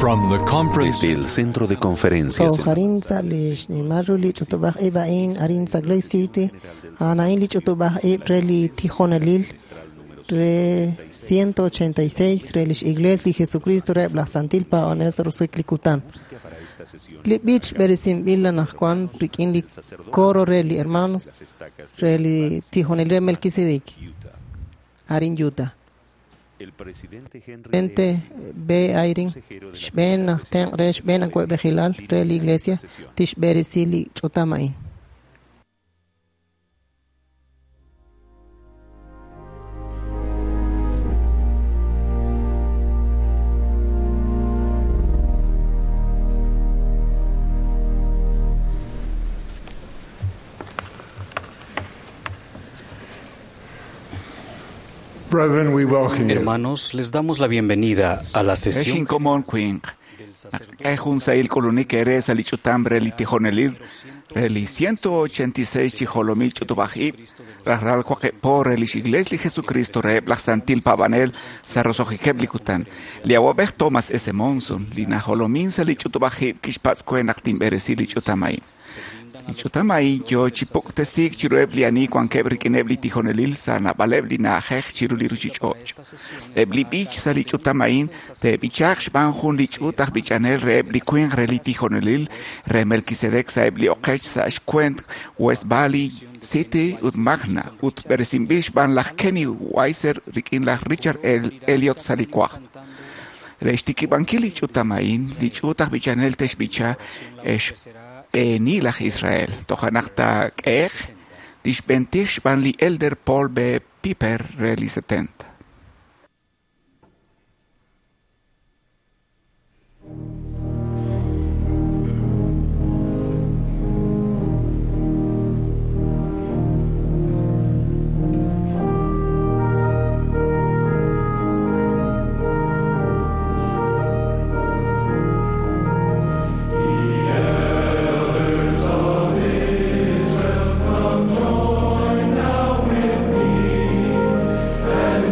From the conference Desde el centro de conferencias en Tojarin sa li xnimal ru li ch'utub'aj ib' a'in arin sa Lake City a'an li ch'utub'aj ib' re li tijonelil re 186 re lix Iglesia li Jesucristo re laj Santil Paonel sa roso'jik li kutan. Li b'ich b'eresinb'il anajwan rik'in li coro re li hermanos re li tijonelil re Melquisedec arin Utah. El presidente Henry Presidente B. Eyring xb'een aj tenq' re xb'een awa'b'ejilal re li Iglesia tixb'eresi li ch'utam a'in. Brethren, we welcome you. Hermanos, les damos la bienvenida a la Exin sesión komon kwinq. Ejun sail kulunik ere sa li ch'utam re li tijonelil re li 186 chijolomil ch'utub'aj ib' rajlal waqib' re lix Iglesia li Jesucristo reheb' laj Santil Paab'anel sa roso'jikeb' li kutan. Li awab'ej Thomas S. Monson li najolomin sa li ch'utub'aj ib' kixpatz' kwe naq tinb'eresi li ch'utam a'in. Li ch'utam a'in yo chi puktesiik chiruheb' li ani wankeb' rik'ineb' li tijonelil sa naab'aleb' li na'ajej chiru li ruchich'och'. Eb' li b'ich sa li ch'utam a'in te'b'ichaaq xb'aan jun li ch'uut aj b'ichanel reheb' li winq re li tijonelil re Melquisedec sa eb' li oqech sa xkwent West Valley City ut Magna ut b'eresinb'il xb'aan laj Kenny Weiser rik'in laj Richard Elliot sa li waj. Re xtikib'ankil li ch'utam a'in, li ch'uut aj b'ichanel te'xb'icha xb'eeni laj Israel. Toja' naq taak'ehe'q li xb'entij xb'aan li Elder Paul B. Piper re li 70. Join now with me and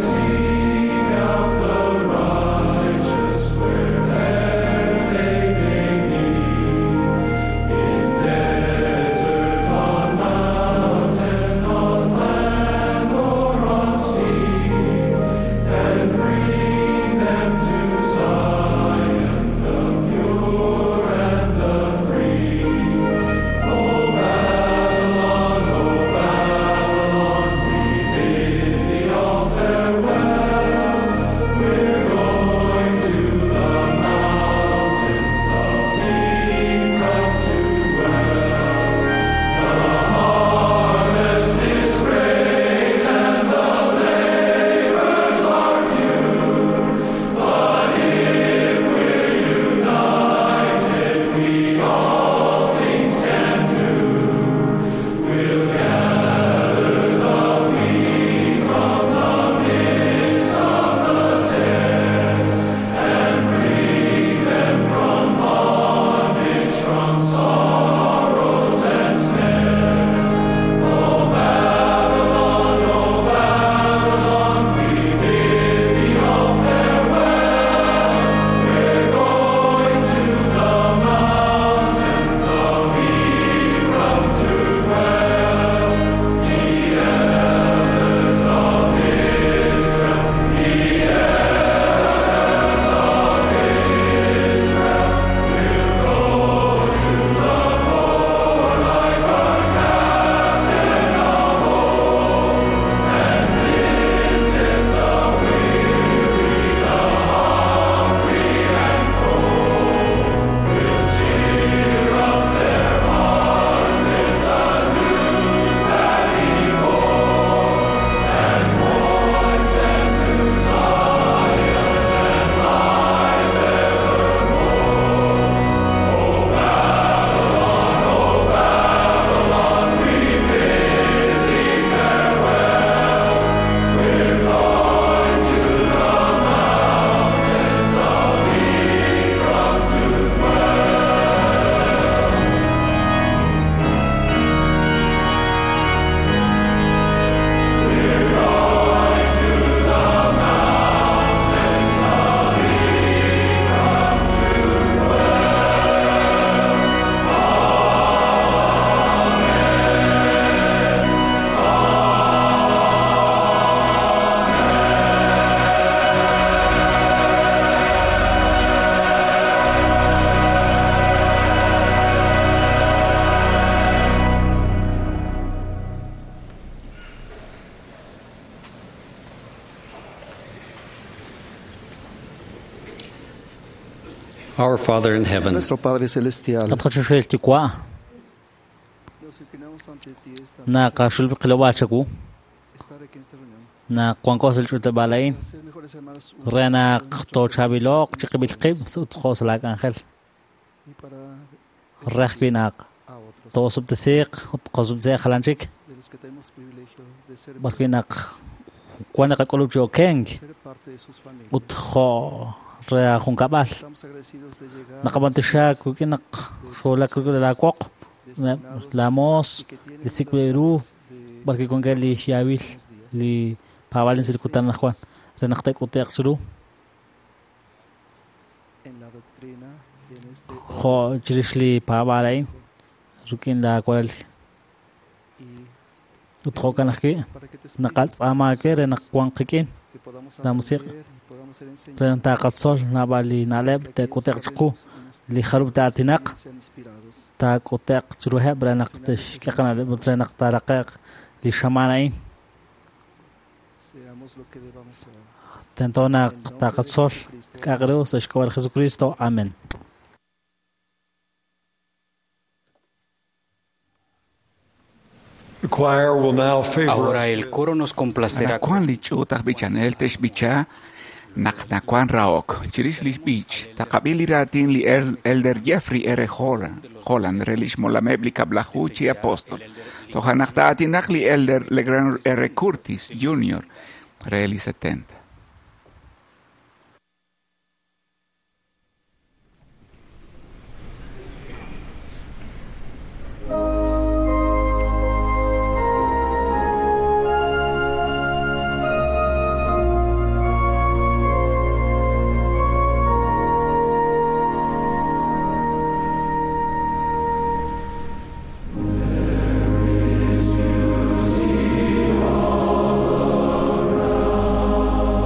Our Father in heaven, Nuestro Padre Celestial, Atqachuxel Yuwa' nos inclinamos ante ti esta naqaxulb'il chawu estar aquí en esta reunión, naq wanko sa' li ch'utleb'aal a'in ser mejores hermanos re naq toochaab'ilo'q chiqib'il qib' ut jo' sa' laak'anjel y para re ajwi' naq a otros toosub'tisiiq ut qoosub'tisiiq jalan chik de los que tenemos privilegio de ser, b'arwi' naq wan naqak'ulub' chi okenk ser parte de sus familias. ut jo' re ajunkab'al Estamos agradecidos de llegar naqab'antioxaak wik'in naq xoolak rik'in laawoq designados lamoos y que tienen li sik'b'il ru unas ganas de b'arwi' wankeb' li xyaab'il unos días. li paab'aalin sa' li kutan anaqwan re naq te'k'ute'q chiru en la doctrina y en este jo' chirix li paab'aal a'in rik'in laawaral y ut jo'kan ajwi' para que tu espíritu naqatz'aama aawe re naq wanq qik'in que podamos la musiq aprender y podamos ser re naq enseñados taqatzol naab'al li na'leb' que aquellos te'k'ute'q que chiqu hablemos y nos li jarub' ta'aatinaq sean inspirados. taak'ute'q chiruheb' re naq te'xk'e qana'leb' ut re naq taaraqe'q li xamaan a'in Seamos lo que debamos ser. tento naq En nombre de taqatzol Jesucristo. k'a'aq ru sa' xk'ab'a' li Jesucristo amen. The choir will now favor ahora us el with coro nos complacerá Anaqwan li ch'uut aj b'ichanel te'xb'icha naq nawan rahok. Chirix li b'ich, taqab'il li raatin li Elder Jeffrey R. Holland re lix molameb' li kab'laju chi apóstol. Toja' naq ta'aatinaq li Elder Legrand R. Curtis Jr. re li 70. There is beauty all around.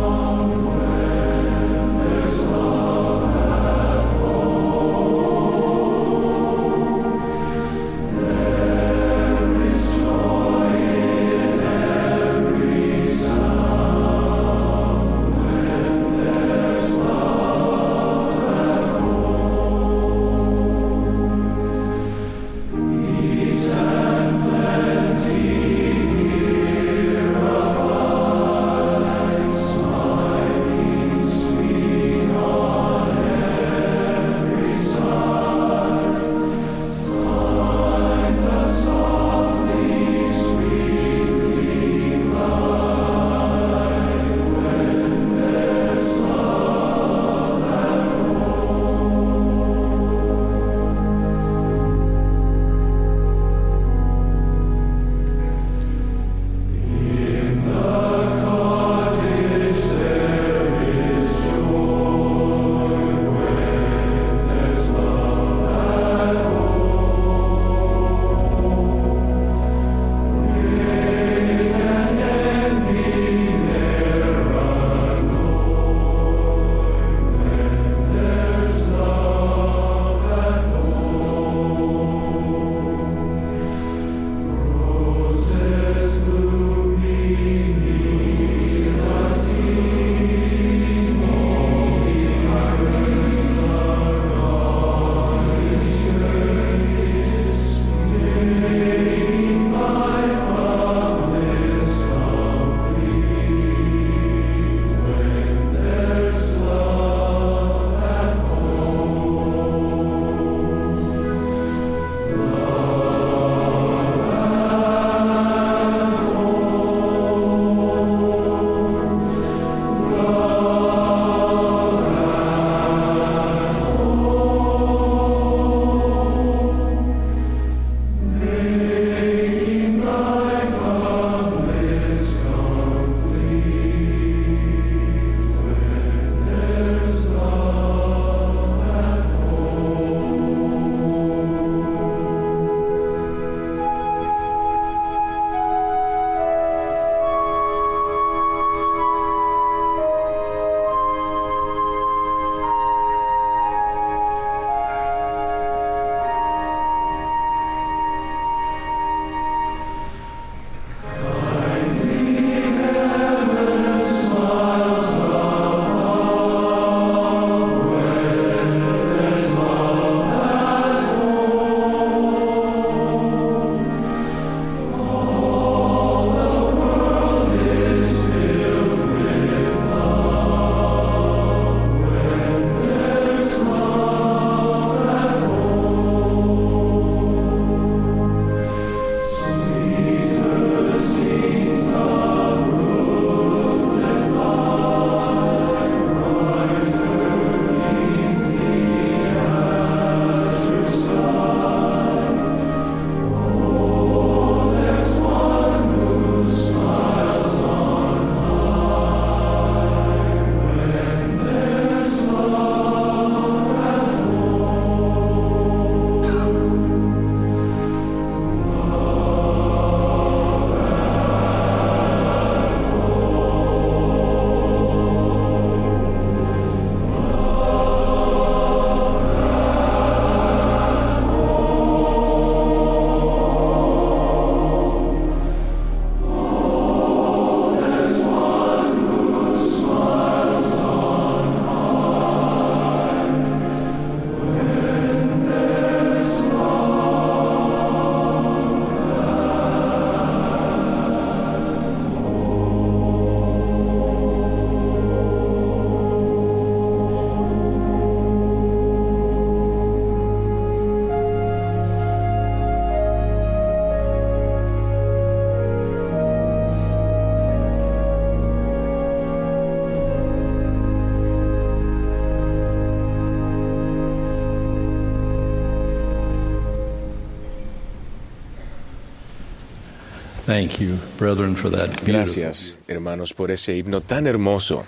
Thank you, brethren, for that beautiful. Gracias, hermanos, por ese himno tan hermoso.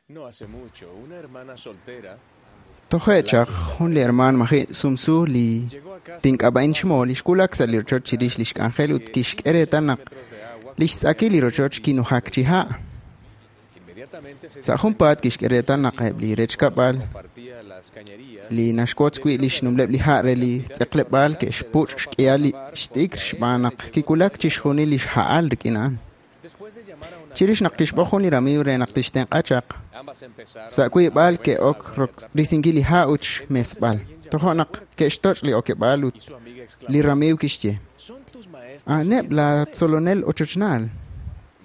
No hace mucho, una hermana soltera Toje'chaq jun li hermaan maji' sumsu li tink'ab'a'in xmo li xwulak sa' li rochoch chirix li xk'anjel ut kixk'e reetal naq li xtz'akil li rochoch kinujak chi ha'. inmediatamente se Sa' junpaat kixk'e reetal naq eb' li rechkab'al compartía las cañerías li naxwotz wi' li xnumleb' li ha' re li tz'eqleb'aal ke'xpuch' xk'ihal li xt'ikr xb'aan naq kiwulak chixjunil li xha'al rik'in a'an. Después de llamar a una Chirix naq kixb'oq jun li ramiiw re naq tixtenq'a chaq, ambas empezaron sa' wiib'al ke'ok risinkil li ha' ut xmesb'al. Tojo' naq ke'xtoch' li okeb'aal ut y su amiga exclamó: li ramiiw kixye, Son tus maestros. "A'aneb' la tzolonel ochochnaal."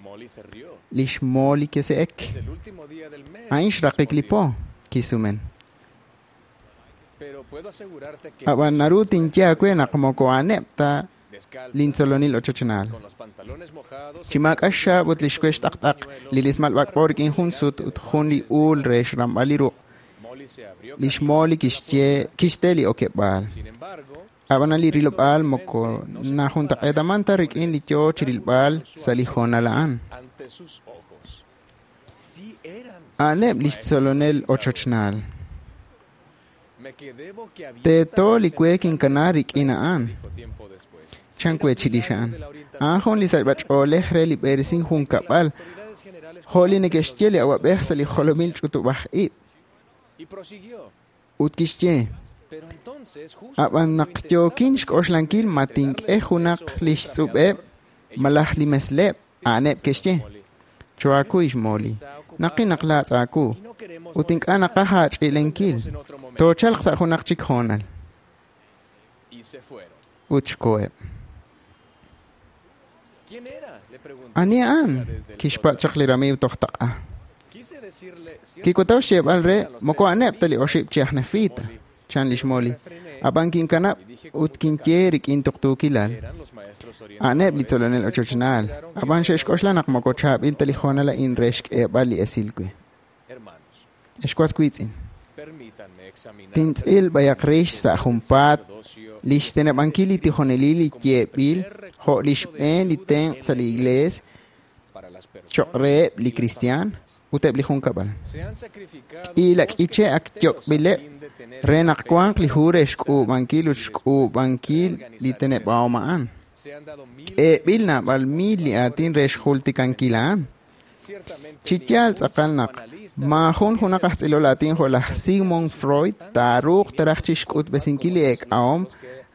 Molly se rió. Li xMolly kise'ek. Es el último día del mes. A'in xraqik li po, kisumen. Pero puedo asegurarte que Ab'an naru tinye aawe naq moko a'aneb' ta descalza, lintzolonil ochochnaal. con los pantalones mojados, Chi maak'a xxaab' ut li xwex t'aqt'aq, li rismal b'ak'b'o rik'in jun sut ut jun li uul re xramb'al li ruq'. Molly se abrió Li xMolly kixye kixte li okeb'aal. Sin embargo, Ab'anan li rilob'aal moko najuntaq'eetaman ta rik'in li yoo chirilb'al sa' li hoonal a'an. ante sus ojos. Sí eran. A'aneb' li xtzolonel ochochnaal. Me quedé boquiabierta. Teeto li we kinkana rik'in a'an. Dijo tiempo después. Chan we chirix a'an. A'an jun li sachb'ach'oolej re li b'eresin junkab'al, Autoridades generales jo' li neke'xye li awab'ej sa' li jolomil ch'utub'aj ib'. y prosiguió. Ut kixye, Pero entonces, justo ab'an naq yookin xk'oxlankil ma tink'e junaq li xtz'ub'eb' malaj li mesleb', a'aneb' ke'xye. Choaku ixMolly, naqi naq laatz' aawu, y no queremos ut ink'a' naqaj aach'i'lenkil. en otro momento. Toochalq sa' junaq chik hoonal. Y se fueron. Ut xkoheb'. ¿Quién era? Le preguntó. Ani a'an? Kixpatz' chaq li ramiiw toj taq'a. Quise decirle Kikutaw xyeeb'al re moko a'aneb' ta li oxib' chi aj Nefita, chan lix Molly. Ab'an kinkanab' ut kinye rik'in tuqtuukilal. eran los maestros A'aneb' li tzolonel ochochnaal. Ab'an xe'xk'oxla naq moko chaab'il ta li hoonal a'in re xk'eeb'al li esil we. Hermanos, Ex was wiitz'in, permítanme examinar tintz'il b'ayaq rix sa' junpaat sacerdocio li xteneb'ankil li tijonelil li yeeb'il jo' li xb'een li tenq' sa' li iglees para las personas. choq' reheb' li kristiaan ut eb' li junkab'al. Se han sacrificado K'iila k'iche' ak enteros a yok'b'ileb' fin de tener re naq wanq li hu re xk'uub'ankil ut xk'uub'ankil li teneb'ahom a'an. Se han dado mil K'eeb'il naab'al mil li aatin re xjultikankil a'an. ciertamente Chi yaal tz'aqal naq maajun junaq aj tz'ilol aatin jo' laj Sigmund Freud taaruuq taraj chi xk'utb'esinkil li eek'ahom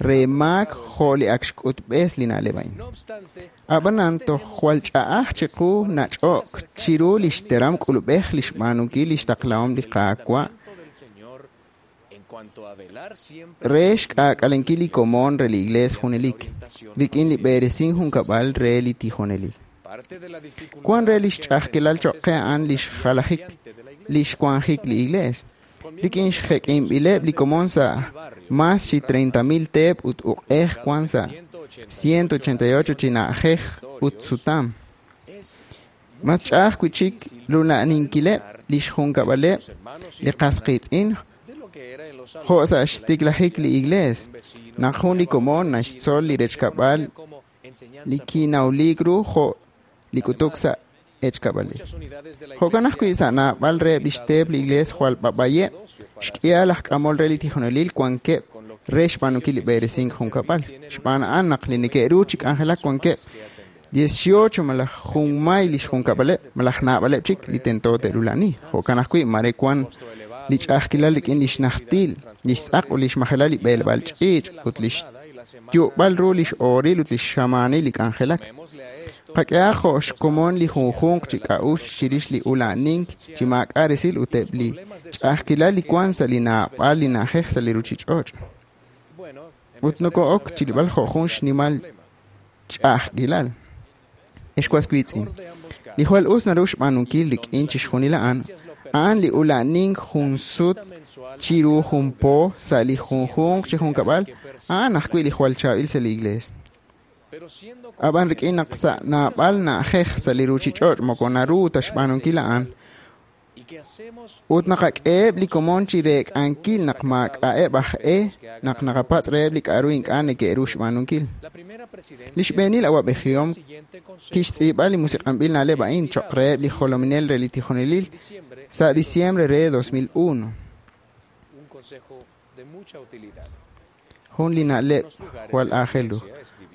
re maak jo' li ak xk'utb'es li na'leb' a'in. No obstante, Ab'anan toj jwal ch'a'aj chiqu nach'o'k chiru li xteram k'ulub'ej li xb'aanunkil li xtaqlahom li Qaawa' del Señor en cuanto a velar siempre re xk'aak'alenkil li komon re li iglees junelik, rik'in li b'eresin junkab'al re li tijonelil. parte de la dificultad Wan re li xch'a'ajkilal choq' qe a'an li xjalajik li xwanjik li iglees. Rik'in xjek'inb'ileb' li komon sa' mas chi 30,000 teep ut uq'ej wan sa' 188 chi na'ajej ut sutam. Mas ch'a'aj wi'chik rula'aninkileb' li xjunkab'aleb' li qas qiitz'in de lo que era en los jo' sa' xtiklajik li iglees. Naq jun li komon naxtzol li rechkab'al como enseñanza li kinawliik ru jo' li k'utuk sa' echkab'alil. muchas unidades de la Jo'kan ajwi' sa' naab'al reheb' li xteep li iglees jwal b'ab'ayeb' xk'ihal aj k'amol re li tijonelil wankeb' re xb'aanunkil li b'eresink junkab'al. Xb'aan a'an naq li neke'ru chi k'anjelak wankeb' 18 malaj junmay li xjunkab'aleb' malaj naab'aleb' chik li tento te'rula'ani. Jo'kan ajwi' mare wan li ch'a'ajkilal rik'in li xnajtil, li xtz'aq ut li xmajelal li b'eeleb'aal ch'iich' ut li xyu'b'al ru li x'ooril ut li xxamaanil li k'anjelak. Llamémosle a esto Qak'ehaq jo' xkomon li junjunq chi k'a'uxl chirix li ula'anink chi maak'a' resil ut eb' li ch'a'ajkilal li wan sa' li naab'al li na'ajej sa' li ruchich'och'. bueno, Ut noko'ok chirilb'al jo' jun xnimal ch'a'ajkilal. Ex was wiitz'in, li jwal us naru xb'aanunkil rik'in chixjunil a'an, a'an li ula'anink jun sut chiru jun po sa' li junjunq chi junkab'al, a'an ajwi' li jwal chaab'il sa' li iglees. pero siendo Ab'an rik'in naq sa' naab'al na'ajej sa' li ruchich'och' moko naru ta xb'aanunkil a'an, Ut naqak'eheb' li komon chi reek'ankil naq maak'a'eb' aj e naq naqapatz' reheb' li k'a'ru ink'a' neke'ru xb'aanunkil. Li xb'eenil awa'b'ejihom kixtz'iib'a li musiq'anb'il na'leb' a'in cho'q reheb' li jolominel re li tijonelil sa' diciembre re 2001. Jun li na'leb' jwal aajel ru.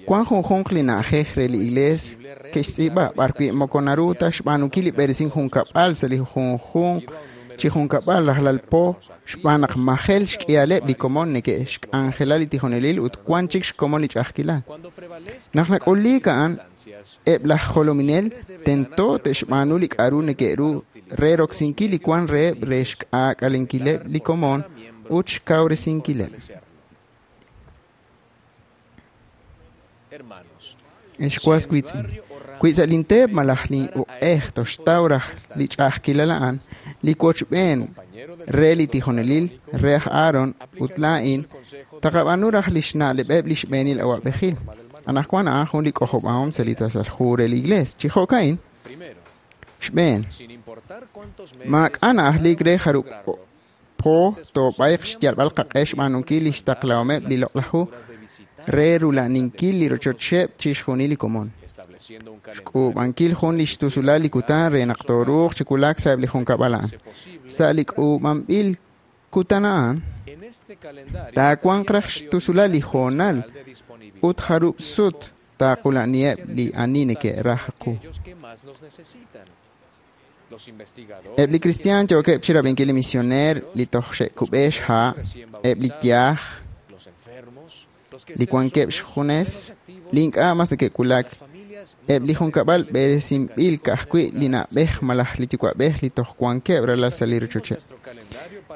Wan junjunq li na'ajej re li iglees ke'xtz'iib'a b'arwi' moko naru ta xb'aanunkil li b'eresink junkab'al sa' li junjunq chi junkab'al rajlal po xb'aan naq majel xk'ihaleb' li komon neke'xk'anjela li tijonelil ut wan chik xkomon li ch'a'ajkilal. Naq nak'uliik a'an, eb' laj jolominel tento te'xb'aanu li k'a'ru neke'ru re roksinkil li wan reheb' re xk'aak'alenkileb' li komon ut xkawresinkileb'. Ex was wiitz'in, wi sa' linteep malaj lin'uq'ej toxtaw raj li ch'a'ajkilal a'an, li wochb'een re li tijonelil re aj Aaron ut laa'in taqab'aanu raj li xna'leb'eb' li xb'eenil awa'b'ejil. Anaqwan a'an jun li k'ojob'ahom sa' li tasal hu re li iglees. Chi jo'ka'in, xb'een, maak'a' na'ajliik re jarub' po toob'ayq xyalb'al qaq'e xb'aanunkil li xtaqlahomeb' li loq'laj hu re rula'aninkil li rochocheb' chixjunil li komon. Xk'uub'ankil jun li xtusulal li kutan re naq tooruuq chi wulak sa'eb' li junkab'al a'an. Sa' li k'uub'anb'il kutan a'an, taawanq raj xtusulal li hoonal ut jarub' sut taaqula'niheb' li ani neke'raj qu. Eb' li kristiaan yookeb' chirab'inkil li misioneer li toj xe'kub'e xha', eb' li yaj, li wankeb' xjunes, li ink'a' mas neke'wulak, eb' li junkab'al b'eresinb'il ka'ajwi' li na'b'ej malaj li yuwa'b'ej li toj wankeb' ralal sa' li rochocheb'.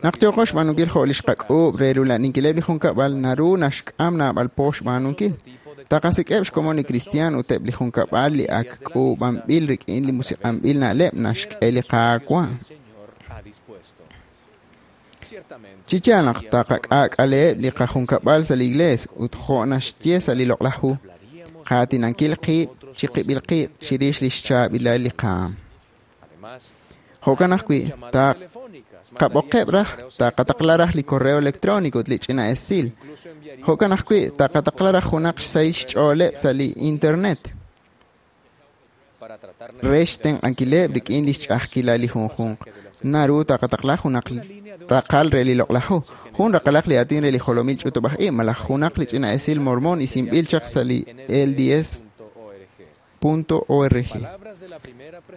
Naq yooqo xb'aanunkil jo' li xqak'uub' re rula'aninkileb' li junkab'al naru naxk'am naab'al po xb'aanunkil. Taqasik'eb' xkomon li kristiaan ut eb' li junkab'al li ak k'uub'anb'il rik'in li musiq'anb'il na'leb' naxk'e li Qaawa'. Chi yaal naq taqak'aak'aleheb' li qajunkab'al sa' li iglees ut jo' naxye sa' li loq'laj hu, qaatinankil qib' chiqib'il qib' chirix li xchaab'ilal li qaam. Jo'kan ajwi', taqab'oqeb' raj, taqataqla raj li correo electrónico ut li ch'ina esil. Jo'kan ajwi', taqataqla raj junaq xsahil xch'ooleb' sa' li internet re xtenq'ankileb' rik'in li xch'a'ajkilal li junjunq. Naru taqataqla junaq raqal re li loq'laj hu, jun raqalaq li aatin re li jolomil ch'utub'aj ib' malaj junaq li ch'ina esil mormon isinb'il chaq sa' li lds.org.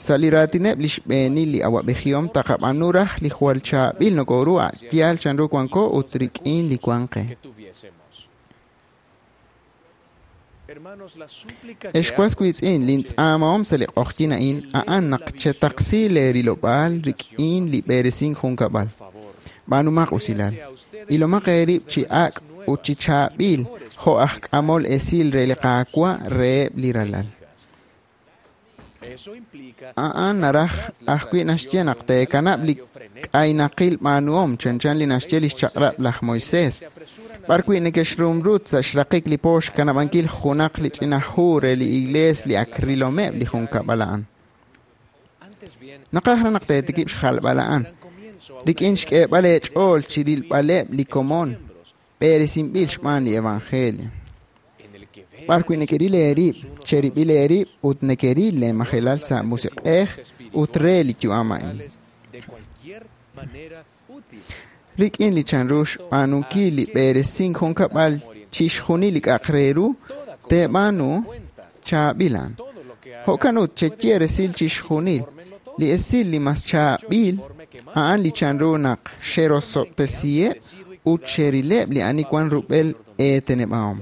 Sa' li raatineb' li xb'eenil li awa'b'ejihom taqab'aanu raj li jwal chaab'il nokoru a' yaal chanru wanko ut rik'in li wan qe. Ex was wiitz'in, lintz'aamahom sa' li q'oqyin a'in a'an naq chetaqsi leerilob'aal rik'in li b'eresink junkab'al. B'aanumaq usilal. Ilomaq eerib' chi ak' ut chi chaab'il jo' aj k'amol esil re li Qaawa' reheb' li ralal. A'an naraj ajwi' naxye naq teekanab' li k'aynaqil b'aanuhom chanchan li naxye li xchaq'rab' laj Moisés, b'arwi' neke'xrumrut sa' xraqik li po xkanab'ankil junaq li ch'ina hu re li iglees li ak rilomeb' li junkab'al a'an. Naqaj raj naq teetikib' xjalb'al a'an, rik'in xk'eeb'al eech'ool chirilb'aleb' li komon b'eresinb'il xb'aan li evangelio. B'arwi' nekeril eerib', cherib'il eerib' ut nekeril leemajelal sa' musiq'ej ut re li yu'am a'in. Rik'in li chanru xb'aanunkil li b'eresink junkab'al chixjunil li k'a'aq re ru, teeb'aanu chaab'il a'an. Jo'kan ut cheye resil chixjunil. Li esil li mas chaab'il a'an li chanru naq xerosob'tesiheb' ut xerileb' li ani wan rub'el eeteneb'ahom.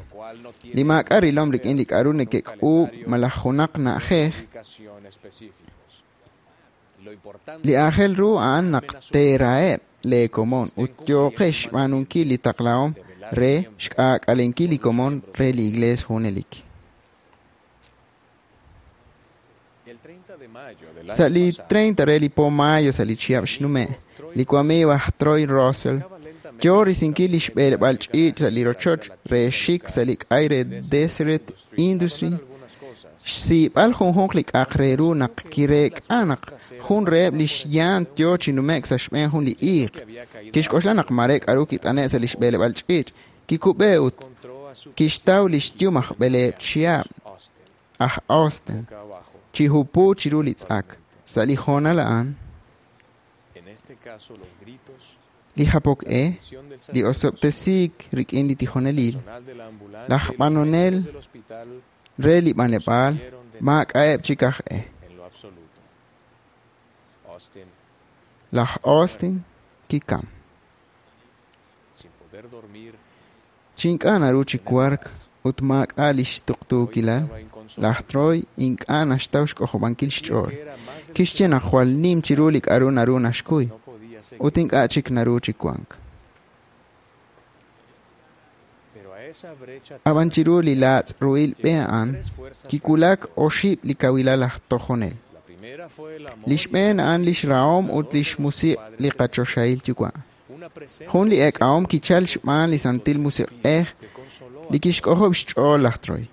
Li maak'a' rilom rik'in li k'a'ru neke'k'uub' malaj junaq na'ajej, li aajel ru a'an naq teeraheb' lee komon ut yooqex xb'aanunkil li taqlahom re xk'aak'alenkil li komon re li iglees junelik. Sa' li 30 re li po mayo sa' li chihab' xnume', li wamiiw aj Troy Russell yo risinkil li xb'eleb'aal ch'iich' sa' li rochoch re xik sa' li k'ay re Deseret Industry. xsiib'al junjunq li k'a'aq re ru naq kireek'a naq jun reheb' lix yaant yoo chi nume'k sa' xb'een jun li iiq. Kixk'oxla naq mare k'a'ru kit'ane' sa' lix b'eleb'aal ch'iich', kikub'e ut kixtaw lix yum aj b'eleeb' chihab' aj Austin chi hupu chiru li tz'ak. Sa' li hoonal a'an, li japok e, li osob'tesiik rik'in li tijonelil, laj b'anonel re li b'anleb'aal maak'a'eb' chik aj e. Laj Austin kikam. Chi ink'a' naru chi wark ut maak'a' lix tuqtuukilal, laj Troy ink'a' naxtaw xk'ojob'ankil xch'ool. Kixye naq jwal nim chiru li k'a'ru naru naxkuy, ut ink'a' chik naru chi wank. Ab'an chiru li laatz' ruhil b'e a'an, kiwulak oxib' li kawilal aj tojonel. Li xb'een a'an lix rahom ut lix musiq' li qachoxahil yuwa'. Jun li eek'ahom kichal xb'aan li Santil Musiq'ej li kixk'ojob' xch'ool laj Troy,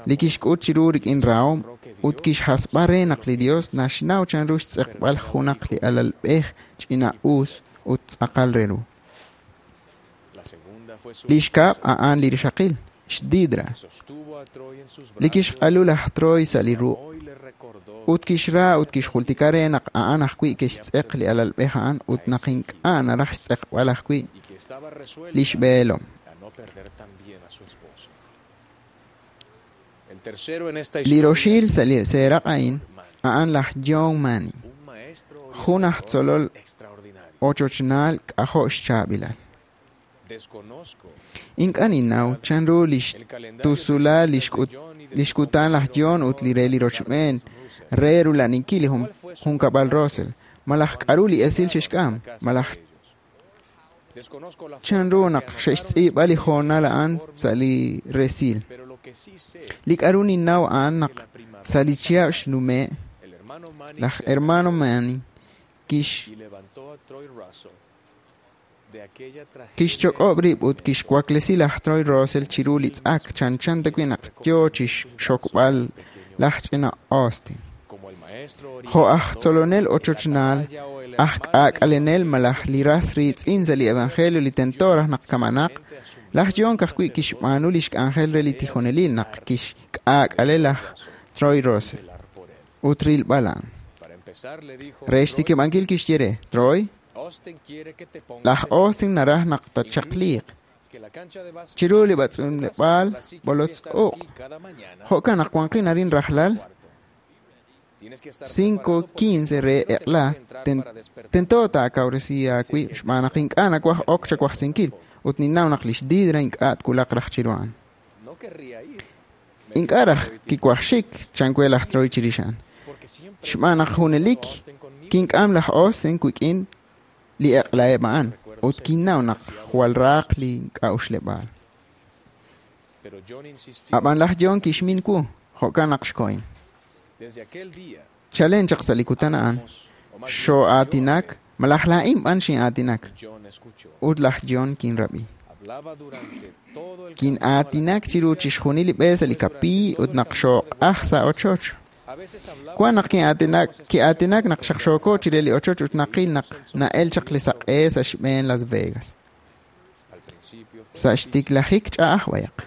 li kixk'ut chiru rik'in rahom ut kixhasb'a re naq li Dios naxnaw chanru xtz'eqb'al junaq li alalb'ej ch'ina-us ut tz'aqal re ru. Li xkab' a'an li rixaqil, xDidra, li kixq'alu laj Troy sa' li ruq' ut kixra ut kixjultika re naq a'an ajwi' kixtz'eq li alalb'ej a'an ut naq ink'a' naraj xtz'eqb'al ajwi' lix b'eelom. Li roxil sa' li seeraq' a'in a'an laj John Manning, jun aj tzolol ochochnaal k'ajo' xchaab'ilal. Ink'a' ninnaw chanru lix tusulal lix kutan laj John ut li re li rochb'een re rula'aninkil li junkab'al Russell, malaj k'a'ru li esil xe'xk'am, malaj chanru naq xe'xtz'iib'a li hoonal a'an sa' li resil. Li k'a'ru ninnaw a'an naq sa' li chihab' xnume', laj hermano Manning kixchok'ob' rib' ut kixwaklesi laj Troy Russell chiru li tz'ak chanchan tawi' naq yoo chixxokb'al laj ch'ina Austin. Jo' aj tzolonel ochochnaal, aj k'aak'alenel malaj li ras riitz'in sa' li evangelio li tento raj naq kamanaq, laj John ka'ajwi' kixb'aanu lix k'anjel re li tijonelil naq kixk'aak'ale laj Troy Russell ut rilb'al a'an. Re xtikib'ankil kixye re, Troy, laj Austin naraj naq tatxaqliiq chiru li b'atz'unleb'aal b'olotz uq'. Jo'kan naq wanqin arin rajlal 5:15 re eq'la tento taakawresi aawib' xb'aan naq ink'a' nawaj ok chawajsinkil ut ninnaw naq lix Didra ink'a' twulaq raj chiru a'an. Ink'a' raj kiwaj xik chan we laj Troy chirix a'an. Xb'aan naq junelik kink'am laj Austin wik'in li eq'laheb' a'an ut kinnaw naq jwal raaq li k'a'uxleb'aal. Ab'an laj John kixmin wu, jo'kan naq xkohin. Chalen chaq sa' li kutan a'an, xoo'aatinak, malaj laa'in b'an xin'aatinak, ut laj John kinrab'i. Kin'aatinak chiru chixjunil li b'e sa' li kapiiy ut naq xooq'aj sa' ochoch. Wan naq ki'aatinak naq xaqxooko chire li ochoch ut naqil naq na'el chaq li saq'e sa' xb'een Las Vegas. Sa' xtiklajik ch'a'aj b'ayaq.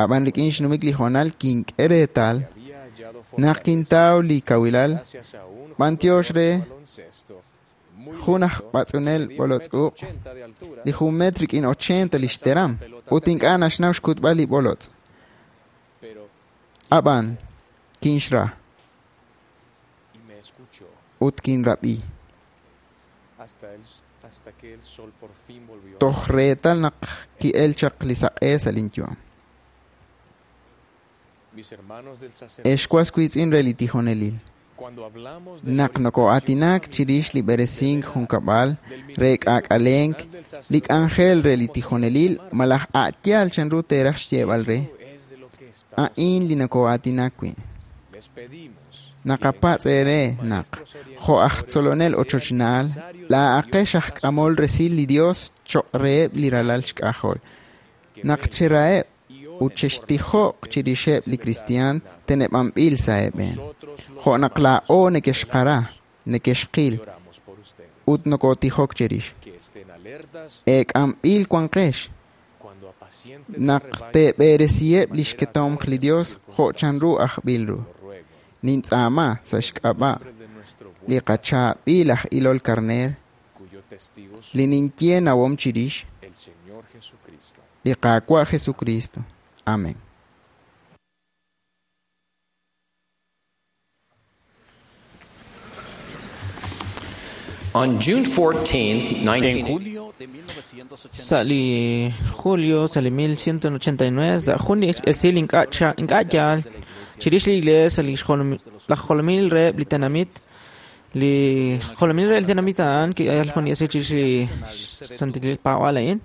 Ab'an rik'in xnumik li hoonal kink'e reetal naq kintaw li kawilal b'antiox re jun aj b'atz'unel b'olotz uq' li 1 metro rik'in 80 lix teram ut ink'a' naxnaw xkutb'al li b'olotz'. Ab'an kinxra ut kinrab'i toj reetal naq ki'el chaq li saq'e sa' linyu'am. Ex was wiitz'in re li tijonelil, naq noko'aatinak chirix li b'eresink junkab'al re k'aak'alenk, li k'anjel re li tijonelil malaj a'yaal chanru teeraj xyeeb'al re, a'in li noko'aatinak wi'. Naqapatz' eere naq, jo' aj tzolonel ochochnaal, laa'aqex aj k'amol resil li Dios choq' reheb' li ralal xk'ajol. Naq cheraheb' ut chextijoq chirixeb' li kristiaan teneb'anb'il sa' eeb'een. Jo' naq laa'o nekexqara, nekexqil, ut nokotijok cherix. Eek'amb'il wanqex naq teeb'eresiheb' lix ketomq li Dios jo' chanru ajb'il ru. Nintz'aama sa' xk'ab'a' li qachaab'il aj ilol karneer, li ninye nawom chirix, li Qaawa' Jesucristo. Amén. On June 14, 19 Sa' li julio sa' li 1189 sa' jun li esil ink'a' yaal chirix li iglees sa' li laj jolomil reheb' li tenamit li jolomil re li tenamit a'an ki'el jun li esil chirix li santil paab'aal a'in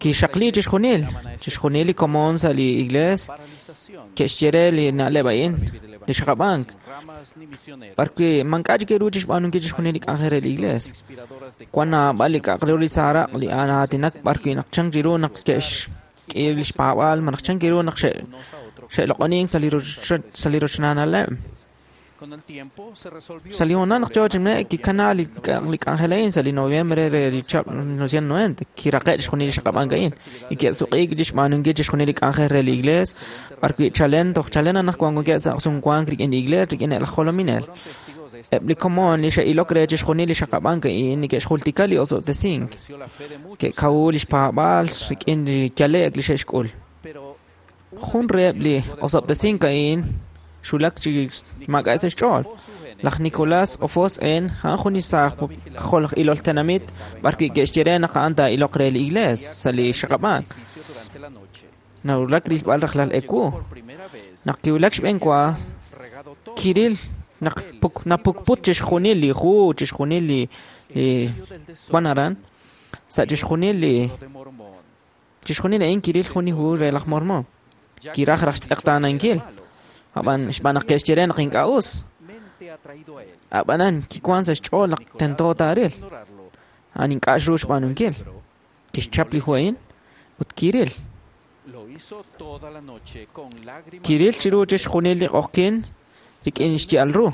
kixaqli chixjunil chixjunil li komon sa' li iglees ke'xye re li na'leb' a'in li xaqab'ank b'arwi' mank'a' chik ru chixb'aanunkil chixjunil li k'anjel re li iglees wan naab'al li k'a'aq re ru li saaraq li aatinak b'arwi' naq chan ru naq ke'xk'i lix paab'aal malaj chan ru naq xe'loq'onink sa' li rochnaanaleb'. Sa' li hoonal naq yoo chi nume'k kikana li k'anjel a'in sa' li noviembre re li chihab' 1990 kiraqe' chixjunil li xaqab'ank a'in y ke'suq'iik chixb'aanunkil chixjunil li k'anjel re li iglees b'arwi' chalen toj chalen anaqwan wankeb' sa' sumwank rik'in li iglees rik'in laj jolominel. Eb' li komon li xe'ilok re chixjunil li xaqab'ank a'in neke'xjultika li osob'tesink ke'kawu lix paab'aal rik'in li yale'k li xe'xk'ul. Jun reheb' li osob'tesink a'in xulak chi maak'a' sa' xch'ool. Laj Nicolás Ofos en a'an jun li saaj jol ilol tenamit b'arwi' ke'xye re naq a'an taa'iloq re li iglees sa' li xaqab'ank. Nawulak rilb'al rajlal ewu. Naq kiwulak xb'een wa kiril naq napukput chixjunil li hu, chixjunil li wan aran, sa' chixjunil li chixjunil a'in kiril jun li hu re laj Mormón. Kiraj raj xtz'eqtaanankil. Ab'an xb'aan naq ke'xye re naq ink'a' us. Ab'anan kiwan sa' xch'ool naq tento taaril. A'an ink'a' xru xb'aanunkil. Kixchap li hu a'in ut kiril. Kiril chiru chixjunil li q'oqyin rik'in xya'al ru.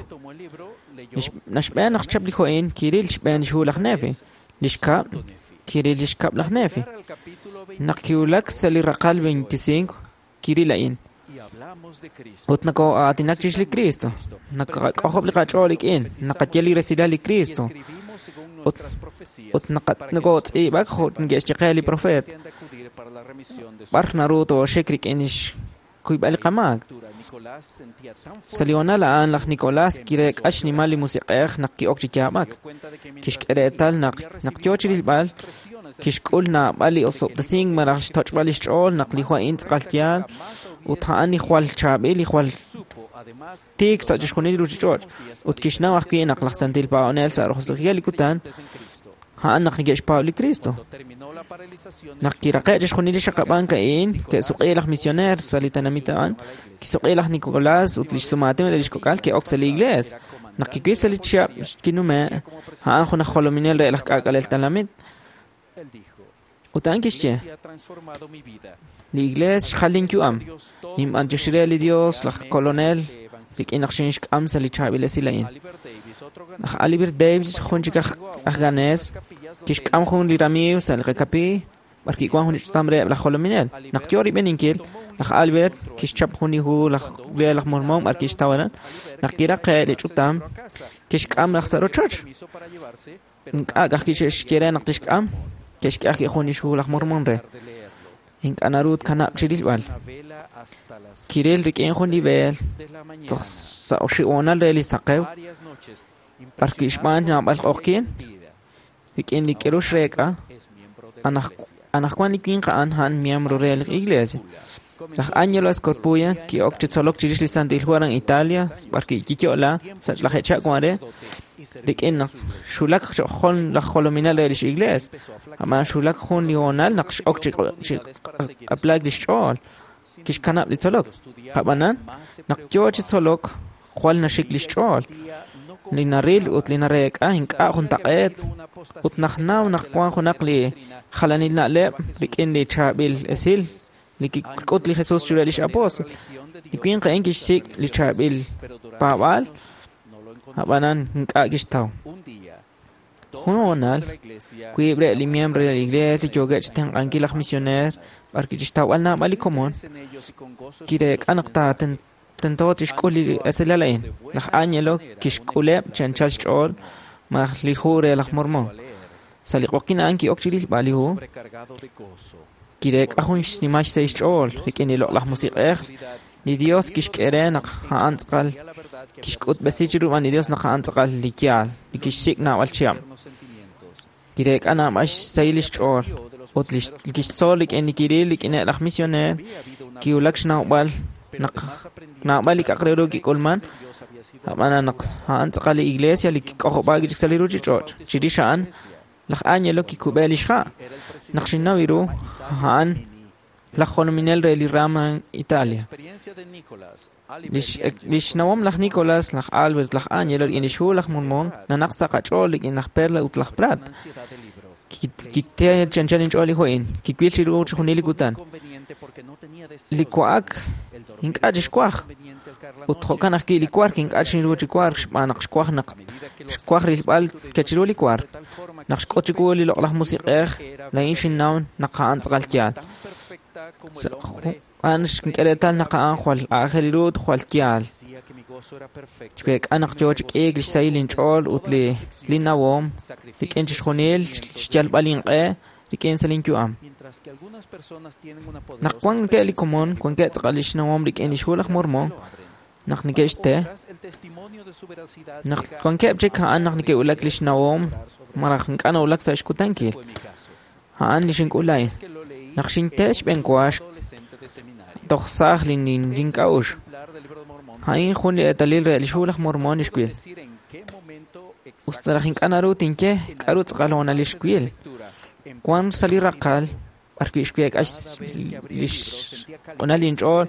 Naxb'een naq xchap li hu a'in kiril xb'een xhu laj Nefi. Li xkab' kiril li xkab' laj Nefi. Naq kiwulak sa' li raqal 25 kiril a'in. Ut nakoo'aatinak chirix li Cristo. Nakaqak'ojob' li qach'ool rik'in, naqaye li resilal li Cristo. Ut nakootz'iib'ak jo' neke'xye qe li profeet. B'ar naru tooxik rik'in xkuyb'al li qamaak. Sa' li hoonal a'an laj Nicolás kireek'a xnimal li musiq'ej naq ki'ok chi yaab'ak. Kixk'e reetal naq yoo chi rilb'al kixk'ul naab'al li osob'tesink malaj xtoch'b'al lix ch'ool naq li hu a'in tz'aqal yaal ut a'an li jwal chaab'il li jwal tiik sa' chixjunil li ruchich'och'. Ut kixnaw ajwi' naq laj santil paab'anel sa' roso'jikil li kutan a'an naq neke'xpaab' li Cristo. Naq kiraqe' chixjunil li xaqab'ank a'in ke'suq'i laj misioneer sa' li tenamit a'an, kisuq'i laj Nicolás ut lix sumaatin ut lix kok'al ke'ok sa' li iglees. Naq kiwil sa' li chihab' kinume' a'an jun aj jolominel re laj k'aak'alel tenamit. Ut a'an kixye, li iglees xjal linyu'am. Ninb'antioxi re li Dios laj kolonel rik'in naq xinxk'am sa' li chaab'il esil a'in. Laj Albert Davis jun chik aj ganés kixk'am jun li ramiiw sa' li qakapi b'arwi' wan jun li ch'utam reheb' laj jolominel. Naq yoo rib'eninkil, laj Albert kixchap jun li hu laj re laj Mormón b'arwi' xtaw aran. Naq kiraqe' li ch'utam, kixk'am raj sa' rochoch. Ink'a' ka'ajwi' xe'xye re naq tixk'am, ke'xk'e ajwi' jun li xhu laj Mormón re. Ink'a' naru tkanab' chi rilb'al. Kiril rik'in jun li beel toj sa' oxib' hoonal re li saqew b'arwi' xb'aan naab'al q'oqyin rik'in li k'aru xreek'a anaqwan li winq a'an a'an miembro re li iglesia. Laj Angelo Escorpuya ki'ok chi tzolok chirix li Santil Hu aran Italia b'arwi' kiyo'la sa' laj echak wan re rik'in naq xulak jun laj jolominel re lix iglees. Ab'an xulak jun li hoonal naq x'ok chi q'aplaak lix ch'ool kixkanab' li tzolok. Ab'anan naq yoo chi tzolok jwal naxik lix ch'ool. Li naril ut li nareek'a ink'a' juntaq'eet ut naq naw naq wan junaq li jalanil na'leb' rik'in li chaab'il esil li kik'ut li Jesus chiru lix apóstol. Li winq a'in kixsik' li chaab'il paab'aal, ab'anan ink'a' kixtaw. Jun hoonal, wiib' re li miembro de la iglesia li yookeb' chitenq'ankil laj misioneer b'ar kixtawb'al naab'al li komon, kireek'a naq tento tixk'ul li esilal a'in. Laj Angelo kixk'uleb' chi anchal xch'ool malaj li hu re laj Mormon. Sa' li q'oqyin a'an ki'ok chi rilb'al li hu, kireek'a jun xnimal xsahil xch'ool rik'in li loq'laj musiq'ej. Li Dios kixk'e re naq a'an tz'aqal kixk'utb'esi chiru b'an li Dios naq a'an tz'aqal li yaal, li kixsik' naab'al chihab'. Kireek'a naab'al xsahil lix ch'ool ut li kixtzol rik'in li kiril rik'ineb' laj misioneer kiwulak xnawb'al naq naab'al li k'a'aq re ru kik'ulman, ab'an naq a'an tz'aqal li iglesia li kik'ojob'aak chik sa' li ruchich'och'. Chirix a'an, laj Angelo kikub'e lix ha'. Naq xinnaw ru, a'an laj jolominel re li rama Italia. Lix nawom laj Nicolás, laj Albert, laj Angelo rik'in lix hu laj Mormon nanaq sa' qach'ool rik'in laj Perla ut laj Prat. Kikte chi anchal inch'ool li hu a'in, kiwil chiru chixjunil li kutan. Li wa'ak ink'a' chixwaj ut jo'kan ajwi' li wark ink'a' xinru chi wark xb'aan naq xwaj naq xwaj rilb'al kechiru li wark. Naq xk'ut chiwu li loq'laj musiq'ej, laa'in xinnaw naq a'an tz'aqal yaal. A'an xink'e reetal naq a'an jwal aajel ru ut jwal yaal. Xweek'a naq yoo chi k'iik lix sahil inch'ool ut li nawom rik'in chixjunil xyalb'al inq'e rik'in sa' linyu'am. Naq wankeb' li komon, wankeb' tz'aqal lix nawom rik'in lix hu laj Mormon, naq neke'xte, naq wankeb' chik a'an naq neke'wulak lix nawom malaj ink'a' nawulak sa' xkutankil. A'an li xink'ul a'in. Naq xinte xb'een wa toj saaj link'a'uxl. A'in jun li eetalil re lix hu laj Mormon li xwil. Usta raj ink'a' naru tinye k'a'ru tz'aqal hoonal li xwil. Wan sa' li raqal b'ar wi' xweek'a lix q'unal inch'ool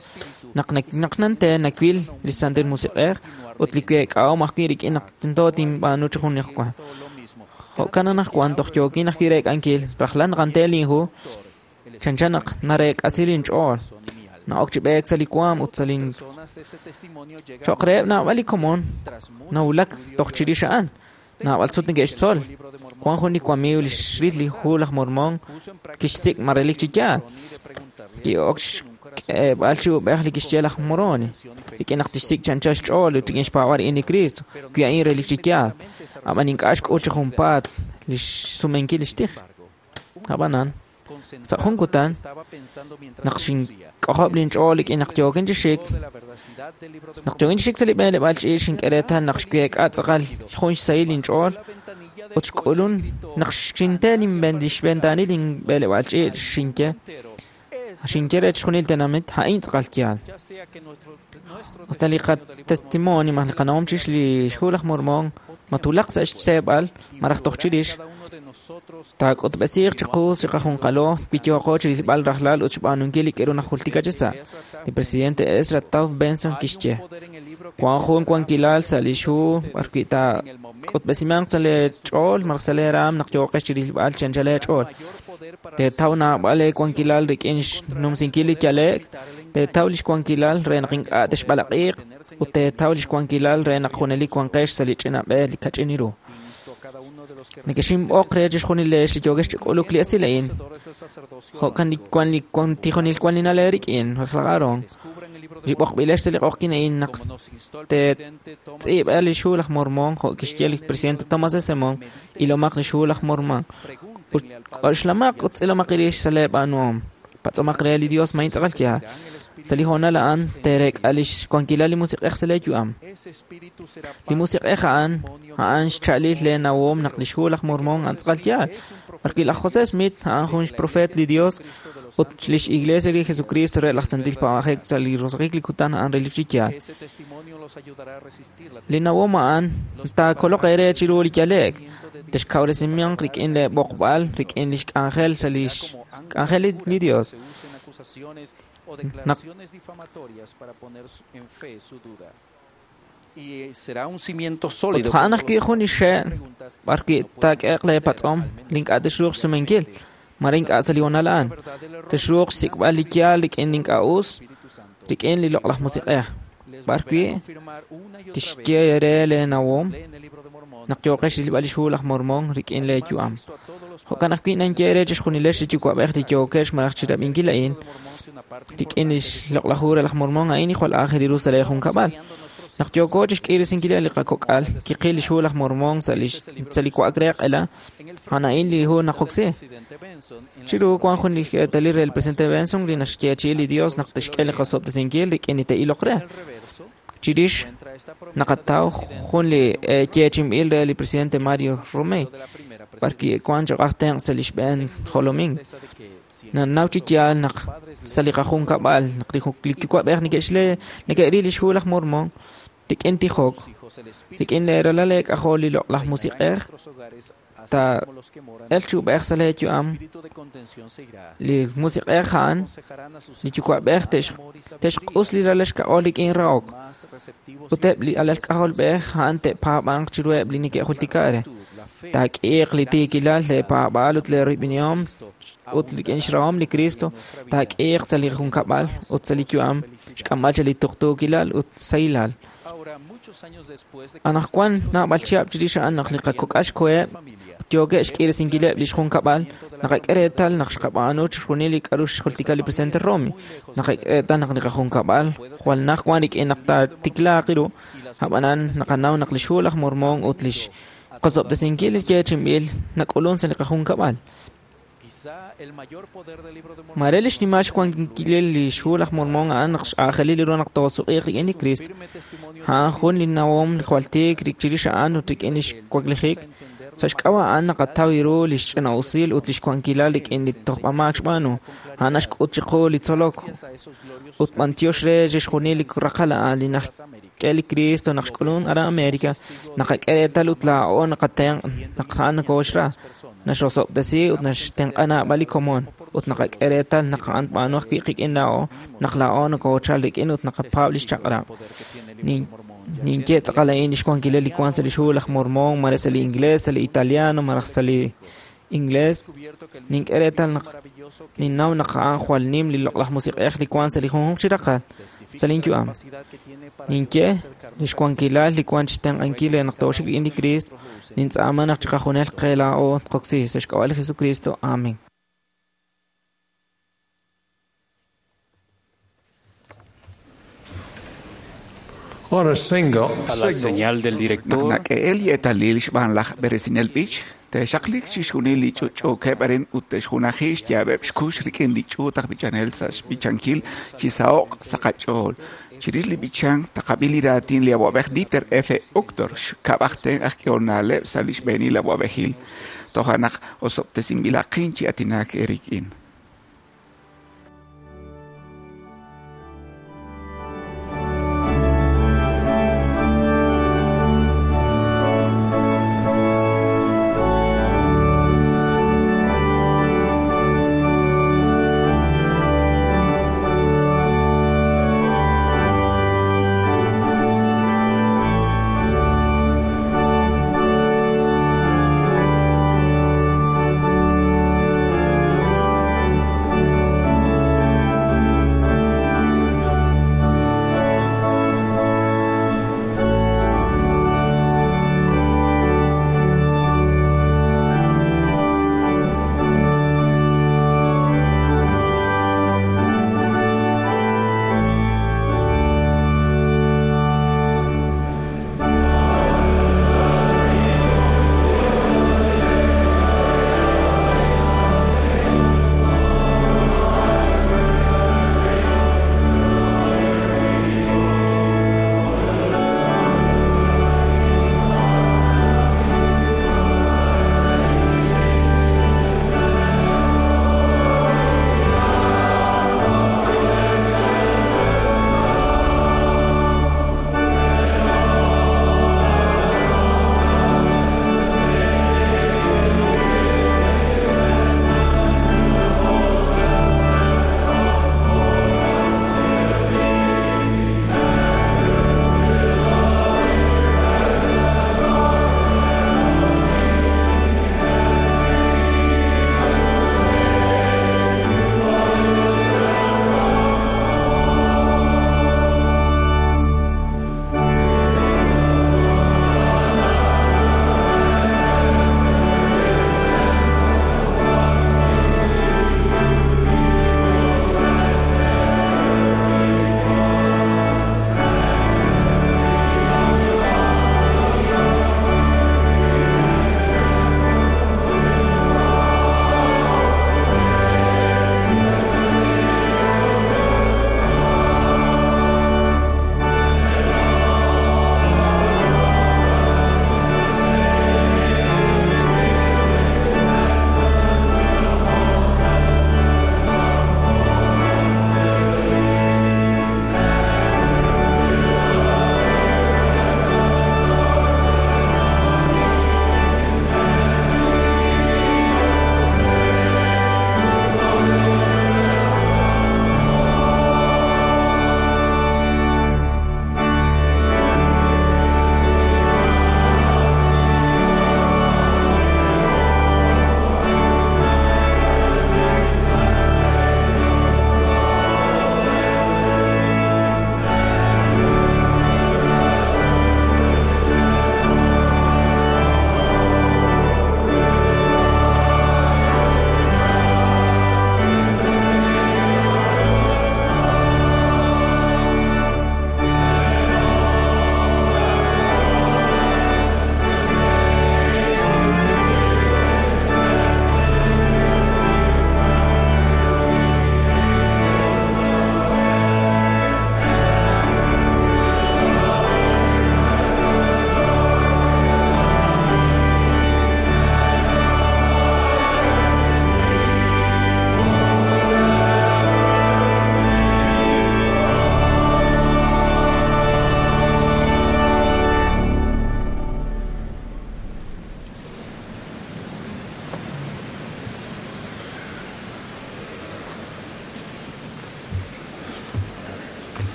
naq nante nawil li Santil Musiq'ej ut li week'ahom ajwi' rik'in naq tento tinb'aanu chi jun wa. Jo'kan anaqwan toj yookin ajwi' reek'ankil rajlal naq ante linhu chanchan naq nareek'asi linch'ool. Na'ok chi b'eek sa' li waam ut sa' lin cho'q reheb' naab'al li komon nawulak toj chirix a'an. Naab'al sut neke'xtzol. Wan jun li wamiiw li xril li hu laj Mormon kixsik' ma relik chi yaal. Ki'ok xk'eeb'al chi ub'ej li kixye laj Moroni rik'in naq tixsik' chi anchal xch'ool ut rik'in xpaab'al rik'in li Cristo wi a'in relik chi yaal. Ab'an ink'a' xk'ul chi junpaat li xsumenkil lix tij. Ab'anan, sa' jun kutan, naq xink'ojob' linch'ool rik'in naq yookin chi xik, naq yookin chi xik sa' li b'eleb'aal ch'iich' xink'e reetal naq xweek'a tz'aqal jun xsahil inch'ool ut xk'ulun naq xinte lix ventaanil linb'eleb'aal ch'iich' xinye xinye re chixjunil tenamit a'in tz'aqal yaal. Usta li qatestimonio malaj li qanawom chirix li hu laj Mormon matulaq sa' xseeb'al malaj toj chirix, taak'utb'esiiq chiqu chiqajunqalo wi yooqo chi rilb'al rajlal ut xb'aanunkil li k'aru najultika chi sa'. Li presidente Ezra Taft Benson kixye, wan jun wankilal sa' lix hu b'ar wi' taak'utb'esimanq sa' lee ch'ool malaj sa' lee raam naq yooqex chi rilb'al chi anchal eech'ool. Teetaw naab'al eewankilal rik'in xnumsinkil li yale'k, teetaw lix wankilal re naq ink'a' texb'alaq'iiq ut teetaw lix wankilal re naq junelik wanqex sa' li ch'ina b'e li kach'in ru. Nekexinb'oq re chixjunil leex li yookex chi k'uluk li esil a'in. Jo'kan li wan li wan tijonil wan li nale rik'in laj Aarón. Li b'oqb'ilex sa' li q'oqyin a'in naq teetz'iib'a lix hu laj Mormon jo' kixye li presidente Thomas S. Monson, ilomaq lix hu laj Mormon. Ut k'oxlamaq ut tz'ilomaq rix sa' lee b'aanuhom. Patz'omaq re li Dios ma tz'aqal yaal. Sa' li hoonal a'an teereek'a lix wankilal li musiq'ej sa' lee yu'am. Li musiq'ej a'an a'an xcha'alil lee nawom naq lix hu laj Mormon a'an tz'aqal yaal. B'ar wi' laj José Smith a'an jun xprofeet li Dios ut lix Iglesia li Jesucristo re laj Santil Paab'ajel sa' li roso'jik li kutan a'an relik chi yaal. Li nawom a'an taakoloq eere chiru li yale'k. Texkawresimanq rik'in lee b'oqb'al rik'in lix k'anjel sa' lix k'anjel li Dios. Naq ut a'an ajwi' jun li xe' b'ar wi' taak'eeq lee patz'om li ink'a' tixruuq xsumenkil. Mare ink'a' sa' li hoonal a'an. Texruuq xsik'b'al li yaal rik'in li ink'a' us, rik'in li loq'laj musiq'ej. B'ar wi' tixye eere lee nawom naq yooqex rilb'al lix hu laj Mormon rik'in lee yu'am. Jo'kan ajwi' ninye eere chixjunilex li yuwa'b'ej li yookex malaj chirab'inkil a'in rik'in lix loq'laj hu re laj Mormon a'in jwal aajel ru sa' lee junkab'al. Naq yooko chixk'irisinkil li qakok'al, kiqil lix hu laj Mormon sa' li wa'ak re q'ela, a'an a'in li hu naqoksi. Chiru wan jun li eetalil re el presidente Benson li naxyeechi'i li Dios naq tixk'e li qasob'tesinkil rik'in li te'iloq re. Chirix naqataw jun li yeechi'inb'il re li presidente Mario Romey, b'ar wi' wan cho'q aj tenq' sa' li xb'een jolomink. Nanaw chi yaal naq sa' li qajunkab'al naq li yuwa'b'ej neke'ril lix hu laj Mormon rik'in tijok, rik'in lee ralal eek'ajol li loq'laj musiq'ej, ta el chub'ej sa' lee yu'am, li musiq'ej a'an, li yuwa'b'ej te'xq'us li ralal xk'ajol rik'in rahok, ut eb' li alal k'ajolb'ej a'an te'paab'anq chiruheb' li neke'jultika re. Taak'iiq li tiikilal, lee paab'aal ut lee royb'enihom ut rik'in xrahom li Cristo taak'iiq sa' li junkab'al ut sa' li yu'am xk'amb'al cha li tuqtuukilal ut sahilal. Anaqwan naab'al chihab' chirix a'an naq li qakok'al xkoheb' yookeb' xk'irisinkileb' lix junkab'al, naqak'e reetal naq xqab'aanu chixjunil li k'a'ru xjultika li presidente Romy. Naqak'e reetal naq li qajunkab'al jwal naj wan rik'in naq taatiklaaq ru, ab'anan naqanaw naq lix hu laj Mormon ut lix qasob'tesinkil li yeechi'inb'il nak'ulun sa' li qajunkab'al. Mare li xnimal xwankilil li xhu laj Mormon a'an naq x'aajelil ru naq toosuq'iiq rik'in li Cristo. A'an jun li nawom li jwal tiik chirix a'an ut rik'in lix waklijik. Sa' xk'ab'a' a'an naqataw ru li xch'ina'usil ut li xwankilal rik'in li tojb'amaak xb'aanu. A'an naxk'ut chiqu li tzolok ut b'antiox re chixjunil li raqal a'an li naxk'e li Cristo naq xk'ulun aran América, naqak'e reetal ut laa'o naqatenq' naq a'an nokooxra, naxrosob'tesi ut naxtenq'a naab'al li komon ut naqak'e reetal naq a'an tb'aanu ajwi' qik'in laa'o naq laa'o nokoochal rik'in ut naqapaab' lix chaq'rab'. Ninye tz'aqal a'in lix wankilal li wan sa' lix hu laj Mormon, mare sa' li inglés, sa' li italiano, malaj sa' li inglés. Nink'e reetal naq ninnaw naq a'an jwal nim li loq'laj musiq'ej li wan sa' li junjunq chi raqal sa' lin yu'am. Ninye lix wankilal li wan chixtenq'ankil re naq tooxik rik'in li Cristo. Nintz'aama naq chiqajunil qe laa'o tqoksi sa' xk'ab'a' li Jesucristo. Amén. On a single A la señal del director, Naq nak'e'el li eetalil xb'aan laj b'eresinel b'ich, te'xaqliq chixjunil li ch'utch'uukeb' arin ut te'xjunaji xyaab'eb' xkux rik'in li ch'uut aj b'ichanel sa' xb'ichankil chi saho'q sa' qach'ool. Chirix li b'ichank taqab'i li raatin li awa'b'ej Dieter F. Uchtdorf xkab'aj tenq' aj k'ehol na'leb' sa' li xb'eenil awa'b'ejil. Toja' naq osob'tesinb'ilaqin chi aatinak eerik'in.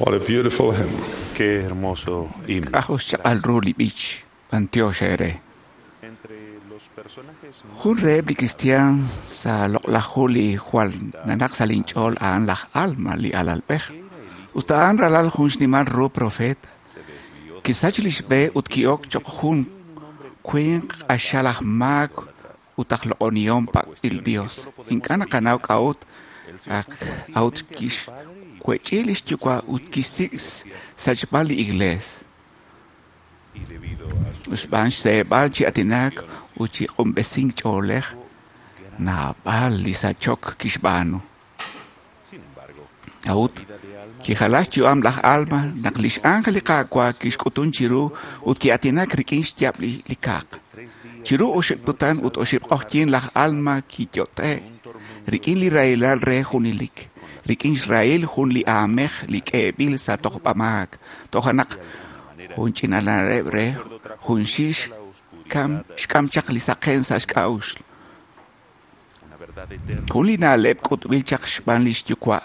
What a beautiful hymn. Qué hermoso himno. K'ajol xchaq'al ru li b'ich, b'antiox eere. Jun reheb' li kristiaan sa' loq'laj hu li jwal nanaq sa' linch'ool a'an laj Alma li alalb'ej. Usta a'an ralal jun xnimal ru profeta. Kisach lix b'e ut ki'ok choq jun winq q'axal aj maak ut aj loq'onihom pak'il Dios. Ink'a' naqanaw k'a'ut ak a'ut kixwech'i lix yuwa' ut kixsik' sachb'al li iglees. Xb'aan xseeb'al chi aatinak ut chi q'unb'esink ch'oolej, naab'al li sachok kixb'aanu. A'ut, kijala xyu'am laj Alma naq lix ángel li Qaawa' kixk'utun chiru ut ki'aatinak rik'in xyaab' li kaaq. Chiru oxib' kutan ut oxib' q'oqyink laj Alma kiyot'e' rik'in li rahilal re junelik, rik'in xrahil jun li aamej li k'eeb'il sa' tojb'amaak. Toja' naq jun ch'ina'leb' re junxil xk'am chaq li saqen sa' xk'a'uxl. Jun li na'leb' k'utb'il chaq xb'aan lix yuwa'.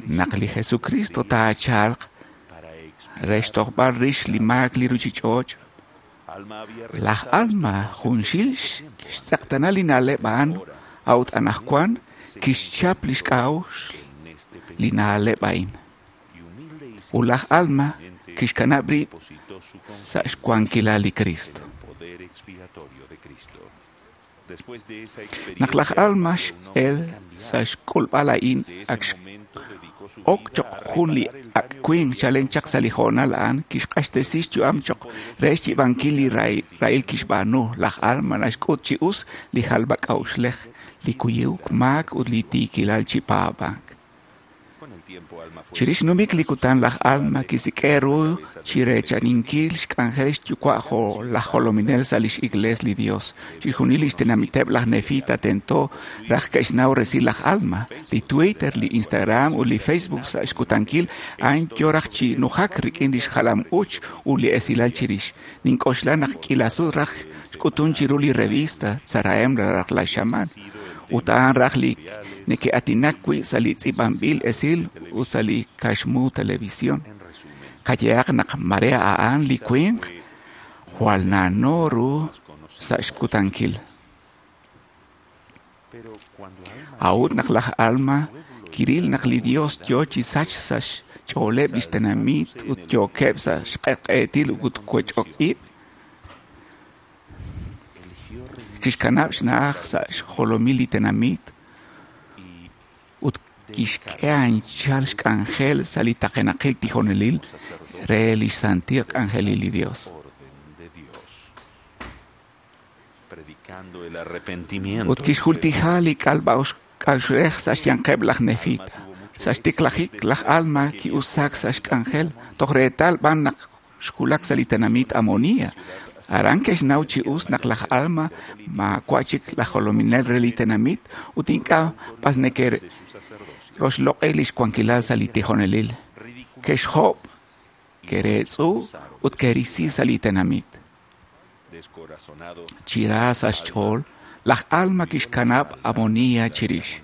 Naq li Jesucristo taachalq re xtojb'al rix li maak li ruchich'och', laj Alma junxil xtz'eqtana li na'leb' a'an a'ut anaqwan kixchap lix k'a'uxl li na'leb' a'in. Ut laj Alma kixkanab' rib' sa' xwankilal li Cristo. Naq laj Alma x'el sa' xk'ulb'al a'in ak ok choq jun li ak' winq chalen chaq sa' li hoonal a'an kixq'axtesi xyu'am choq re xyiib'ankil li rahil kixb'aanu. Laj Alma naxk'ut chi us li jalb'ak'a'uxlej, li kuyuk maak ut li tiikilal chi paab'ank. Chirix numik li kutan laj Alma kisik'e ru chi reechaninkil xk'anjel xyuwa' jo' laj jolominel sa' lix iglees li Dios. Chixjunil lix tenamiteb' laj Nefita tento raj ke'xnaw resil laj Alma. Li Twitter, li Instagram ut li Facebook sa' xkutankil a'an yo raj chi nujak rik'in lix jalam-uuch ut li esilal chirix. Nink'oxla naq k'iila sut raj xk'utun chiru li revista Tzarahem raj laj xamaan. Ut a'an raj li neke'aatinak wi' sa' li tz'iib'anb'il esil ut sa' li kaxmu televisión. Qayehaq naq mare a'an li winq jwal na'no ru sa' xkutankil. A'ut naq laj Alma kiril naq li Dios yo chi sach sa' xch'ooleb' lix tenamit ut yookeb' sa' xq'eq'eetil ut wech'ok ib', kixkanab' xna'aj sa' xjolomil li tenamit ut kixk'e anchal xk'anjel sa' li taqenaqil tijonelil re lix santil k'anjelil li Dios. Ut kixjultija li k'alb'ak'a'uxlej sa' xyanqeb' laj Nefita. Sa' xtiklajik laj Alma ki'usaak sa' xk'anjel toj reetal b'an naq xwulak sa' li tenamit Amonia. Aran ke'xnaw chi us naq laj Alma maawa' chik laj jolominel re li tenamit ut ink'a' b'as neke'roxloq'i lix wankilal sa' li tijonelil. Ke'xjob', ke'reetz'u ut ke'risi sa' li tenamit. Chi ra sa' xch'ool, laj Alma kixkanab' Amonia chirix.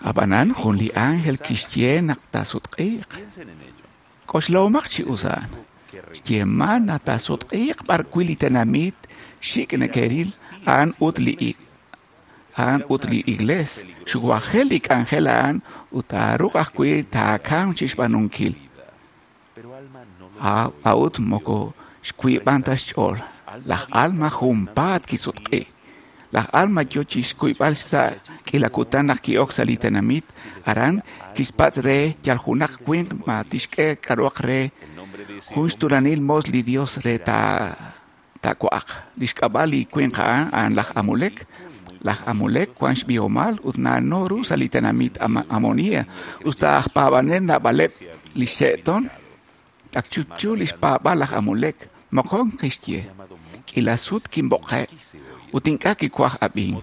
Ab'anan jun li ángel kixye naq taasutq'iiq. K'oxlahomaq chi us a'an. Xyeeman naq taasutq'iiq b'arwi' li tenamit xik' neke'ril a'an ut li iglees. Xuwajel li k'anjel a'an ut taaruuq ajwi' taakamq chi xb'aanunkil. A'ut moko xwiib'an ta xch'ool. Laj Alma junpaat kisutq'i. Laj Alma yo chi xkuyb'al sa' k'iila kutan naq ki'ok sa' li tenamit. Aran kixpatz' re yal junaq winq ma tixk'e k'a'ruhaq re jun xtuulanil moos li Dios re taawa'aq. Lix k'ab'a' li winq a'an a'an laj Amulek. Laj Amulek wan xb'ihomal ut na'no ru sa' li tenamit Amonia. Usta aj paab'anel naab'aleb' li xe'ton, ak chupchu lix paab'aal laj Amulek. Moqon kixye, k'iila sut kinb'oqe' ut ink'a' kiwaj ab'ink.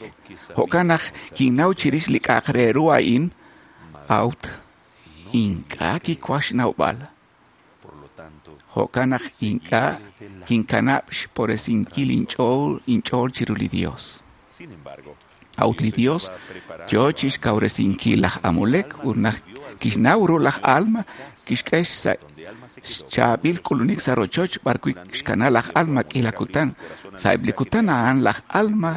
Jo'kan naq kinnaw chirix li k'a'aq re ru a'in, a'ut ink'a' kiwaj xnawb'al. Jo'kan naq ink'a' kinkanab' xporesinkil inch'ool chiru li Dios. A'ut li Dios yo chixkawresinkil laj Amulek ut naq kixnaw ru laj Alma kixk'e xchaab'il k'ulunik sa' rochoch b'arwi' xkana laj Alma k'iila kutan. Sa'eb' li kutan a'an laj Alma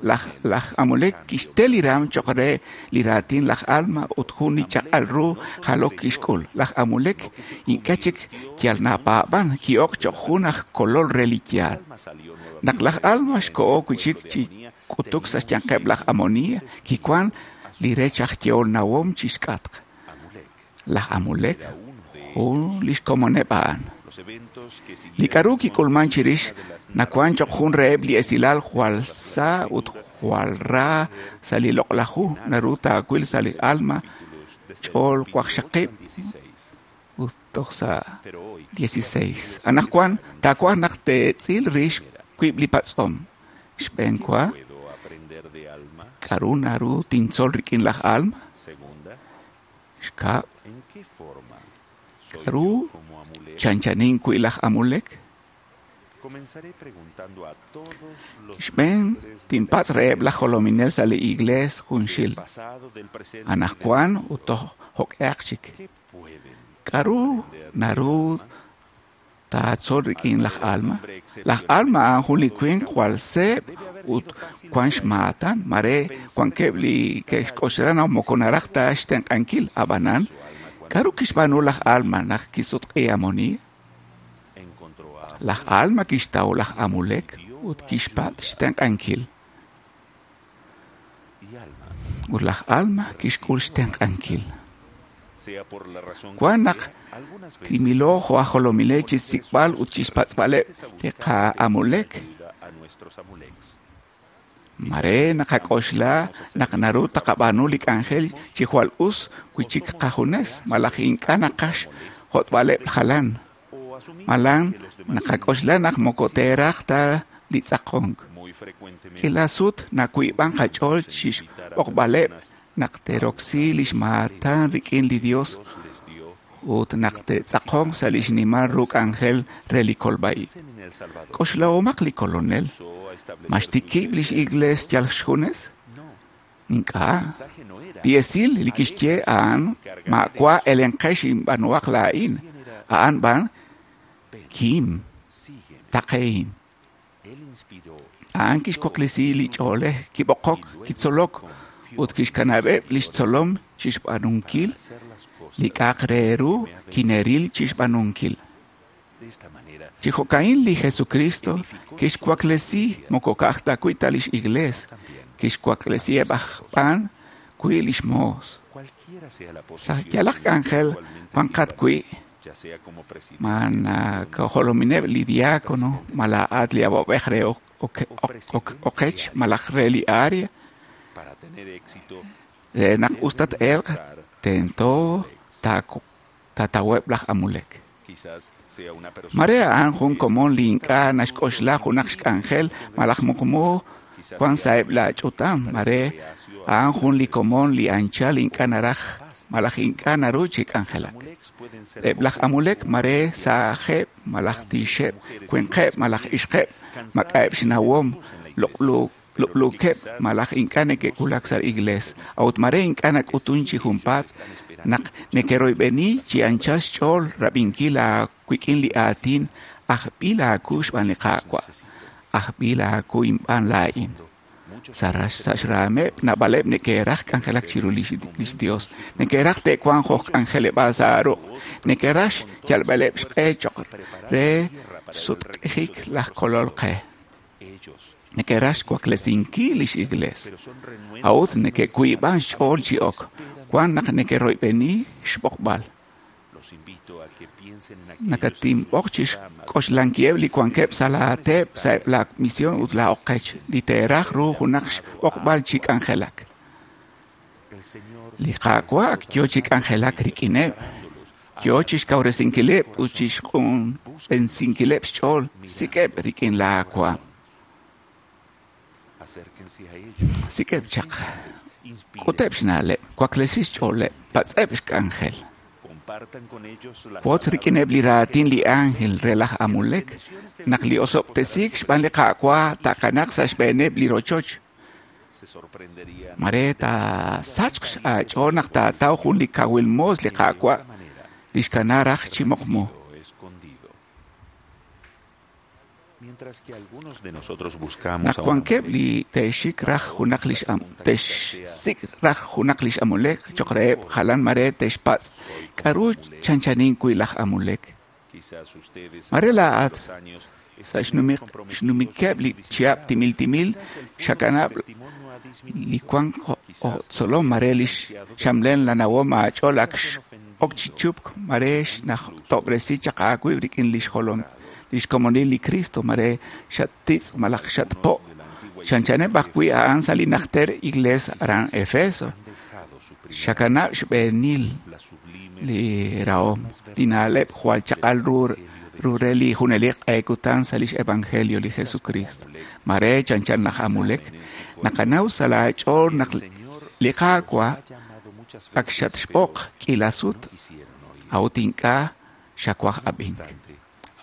laj Amulek kixte li raam cho'q re li raatin laj Alma ut jun li chaq'al ru jalok kixk'ul. Laj Amulek ink'a' chik yal napaab'an ki'ok cho'q jun aj kolol re li yaal. Naq laj Alma xko'o wi' chik chi k'utuk sa' xyanqeb' laj Amonia kiwan li rech aj yehol nawom chixk'atq. Laj Amulek jun li xkomoneb' a'an. Li k'aru kik'ulman chirix nawan cho'q jun reheb' li esilal jwal sa ut jwal ra sa' li loq'laj hu naru taawil sa' li Alma ch'ool waqxaqib' ut toj sa' 16. Anaqwan taawaj naq teetz'il rix wiib' li patz'om. Xb'een wa, k'aru naru tintzol rik'in laj Alma? Xkab', k'aru chanchanin wi' laj Amulek? Xb'een tinpatz' reheb' laj jolominel sa' li iglees junxil. Anaqwan ut toj jo'k'ehaq chik. K'aru naru taatzol rik'in laj Alma? Laj Alma a'an jun li winq jwal seeb' ut wan xmaatan, mare wankeb' li ke'xk'oxla naq moko naraj ta xtenq'ankil. Ab'anan, k'aru kixb'aanu laj Alma naq kisutq'i Amonia? Laj Alma kixtaw laj Amulek ut kixpatz' xtenq'ankil. Ut laj Alma kixk'ul xtenq'ankil. Wan naq timilo jo' aj jolomilej chixsik'b'al ut chixpatz'b'aleb' li qa'Amulek. Mare naqak'oxla naq naru taqab'aanu li k'anjel chi jwal us wi' chik qajunes malaj ink'a' naqaj xjot'b'aleb' jalan. Malan naqak'oxla naq moko teeraj ta li tz'aqonk. K'iila sut nawiib'an qach'ool chixb'oqb'aleb' naq te'roksi lix maatan rik'in li Dios ut naq te'tz'aqonq sa' li xnimal ru k'anjel re li kolb'a-ib'. K'oxlahomaq li Kolonel. Ma xtikib' lix iglees yal xjunes? Ink'a'. Li esil li kixye a'an maawa' elenqex inb'aanuhaq laa'in. A'an b'an kim, taqehin. A'an kixwaklesi li ch'oolej, kib'oqok, kitzolok ut kixkanab'eb' lix tzolom chixb'aanunkil li k'a'aq re ru kineril chixb'aanunkil. Chi jo'ka'in li Jesucristo kixwaklesi moko ka'aj ta wi' ta lix iglees, kixwaklesiheb' aj b'an wi' lix moos. Sa' yalaq k'anjel wanqat wi', ma nakajolomineb' li diácono, ma laa'at li awab'ej re oqech malaj re li área, re naq us tat-elq tento taataweb' laj Amulek. Mare a'an jun komon li ink'a' naxk'oxla junaq xk'anjel malaj muqmu wan sa'eb' la ch'utam. Mare a'an jun li komon li anchal ink'a' naraj malaj ink'a' naru chi k'anjelak. Eb' laj Amulek mare saajeb' malaj tiixeb', winqeb' malaj ixqeb', mak'a'eb' xnawom, lub'luukeb' malaj ink'a' neke'wulak sa' iglees. A'ut mare ink'a' nak'utun chi junpaat naq neke'royb'eni chi anchal xch'ool rab'inkil aawik'in li aatin ajb'il aawu xb'aan li Qaawa', ajb'il aawu inb'aan laa'in. Sa' xraameb' naab'aleb' neke'raj k'anjelak chiru lix Dios, neke'raj te'wanq jo' k'anjeleb'aal sa' aaruq', neke'raj xyalb'aleb' xq'e cho'q re xsutq'ijik laj Kolol qe. Neke'raj xwaklesinkil lix iglees. A'ut neke'wiib'an xch'ool chi ok, wan naq neke'royb'eni xb'oqb'al. Nakatinb'oq chixk'oxlankiheb' li wankeb' sa' laateep sa'eb' la misión ut la oqech li teeraj ru junaq xb'oqb'al chi k'anjelak. Li Qaawa' ak yo chi k'anjelak rik'ineb', yo chixkawresinkileb' ut chixq'unb'ensinkileb' xch'ool, sik'eb' rik'in laawaam. Sik'eb' chaq, k'uteb' xna'leb', waklesi xch'ooleb', patz'eb' xk'anjel. Wotz rik'ineb' li raatin li ángel re laj Amulek naq li osob'tesiik xb'aan li Qaawa' taakanaq sa' xb'eeneb' li rochoch. Mare taasachq aach'ool naq taataw jun li kawil moos li Qaawa' li xkana raj chi muqmu. Naq wankeb' li te'xik raj junaq lix te'xsik' raj junaq lix Amulek choq' reheb' jalan mare te'xpatz' k'a'ru chanchanin wi' laj Amulek. Mare laa'at sa' xnumikeb' li chihab' timil timil xakanab' li wank jo' tzolom mare lix xamlel la nawom aach'ool ak ok chi chupk mare xnajtob'resi chaq aawib' rik'in lix jolom lix komonil li Cristo mare xattitz' malaj xatpo' chanchaneb' ajwi' a'an sa' li najter iglees aran Efeso. Xakanab' xb'eenil li rahom li na'leb' jwal chaq'al ru re li junelik q'e kutan sa' lix evangelio li Jesucristo. Mare chanchan laj Amulek naqanaw sa' laach'ool naq li Qaawa' ak xatxb'oq k'iila sut a'ut ink'a' xawaj ab'ink.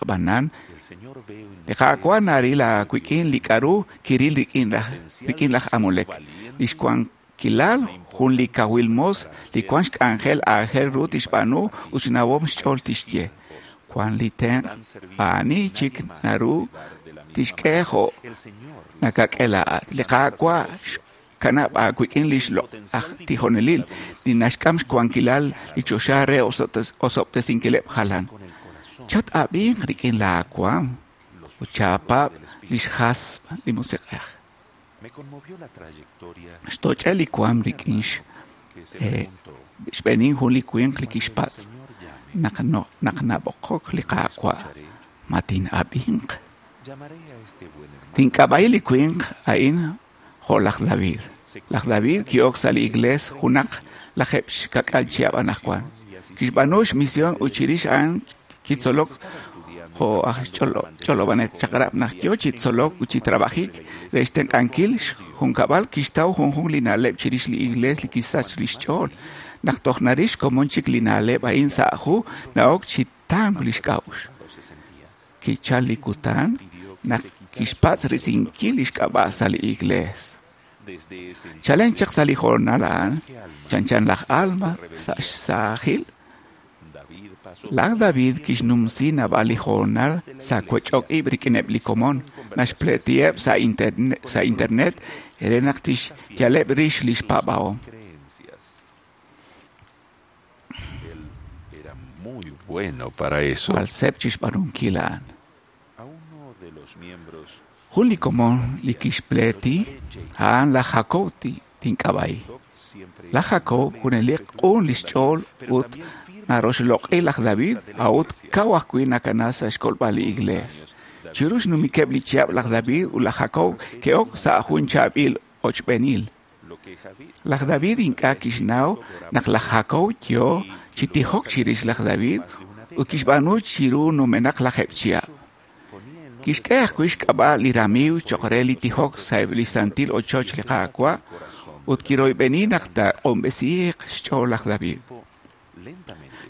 Ab'anan li Qaawa' naril aawik'in li k'a'ru kiril rik'in laj Amulek lix wankilal jun li kawil moos li wan xk'anjel aajel ru tixb'aanu ut xnawom xch'ool tixye. Wan li tenq' aani chik naru tixk'e jo' nakak'e laa'at. Li Qaawa' xkanab' aawik'in lix loq'aj tijonelil li naxk'am xwankilal li choxa re osob'tesinkileb' jalan. Chat-ab'inq rik'in laawaam ut chapaab' lix hasb' li Musiq'ej. Xtoch'e li waam rik'in xb'eenil jun li winq li kixpatz' naq nab'oqok li Qaawa' ma tin'ab'inq. Tink'ab'a'i li winq a'in jo' laj David. Laj David ki'ok sa' li iglees junaq lajeb' xkak'al chihab' anaqwan. Kixb'aanu xmision ut chirix a'an kitzolok jo' aj ch'olob'anel chaq'rab' naq yo chi tzolok ut chi trabajik re xtenq'ankil xjunkab'al kixtaw junjunq li na'leb' chirix li iglees li kisach lix ch'ool. Naq toj narix komon chik li na'leb' a'in sa' hu na'ok chi tamk lix k'a'uxl. Kichal li kutan naq kixpatz' risinkil lix k'ab'a' sa' li iglees. Chalen chaq sa' li hoonal a'an chanchan laj Alma sa' xsaajil. Laj David kixnumsi naab'al li hoonal sa' wech'ok ib' rik'ineb' li komon naxpleetiheb' sa' internet re naq tixyaleb' rix lix paab'ahom. Jwal seeb' chixb'aanunkil a'an. Jun li komon li kixpleeti a'an laj Jacob tink'ab'a'i. Laj Jacob junelik q'un lix ch'ool ut naroxloq'i laj David a'ut kaw ajwi' nakana sa' xkolb'al li iglees. Chiru xnumikeb' li chihab' laj David ut laj Jacob ke'ok sa' jun chaab'il ochb'eenil. Laj David ink'a' kixnaw naq laj Jacob yo chi tijok chirix laj David ut kixb'aanu chiru numenaq lajeb' chihab'. Kixk'e ajwi' xk'ab'a' li ramiiw choq' re li tijok sa'eb' li santil ochoch li Qaawa' ut kiroyb'eni naq taaq'unb'esiiq xch'ool laj David.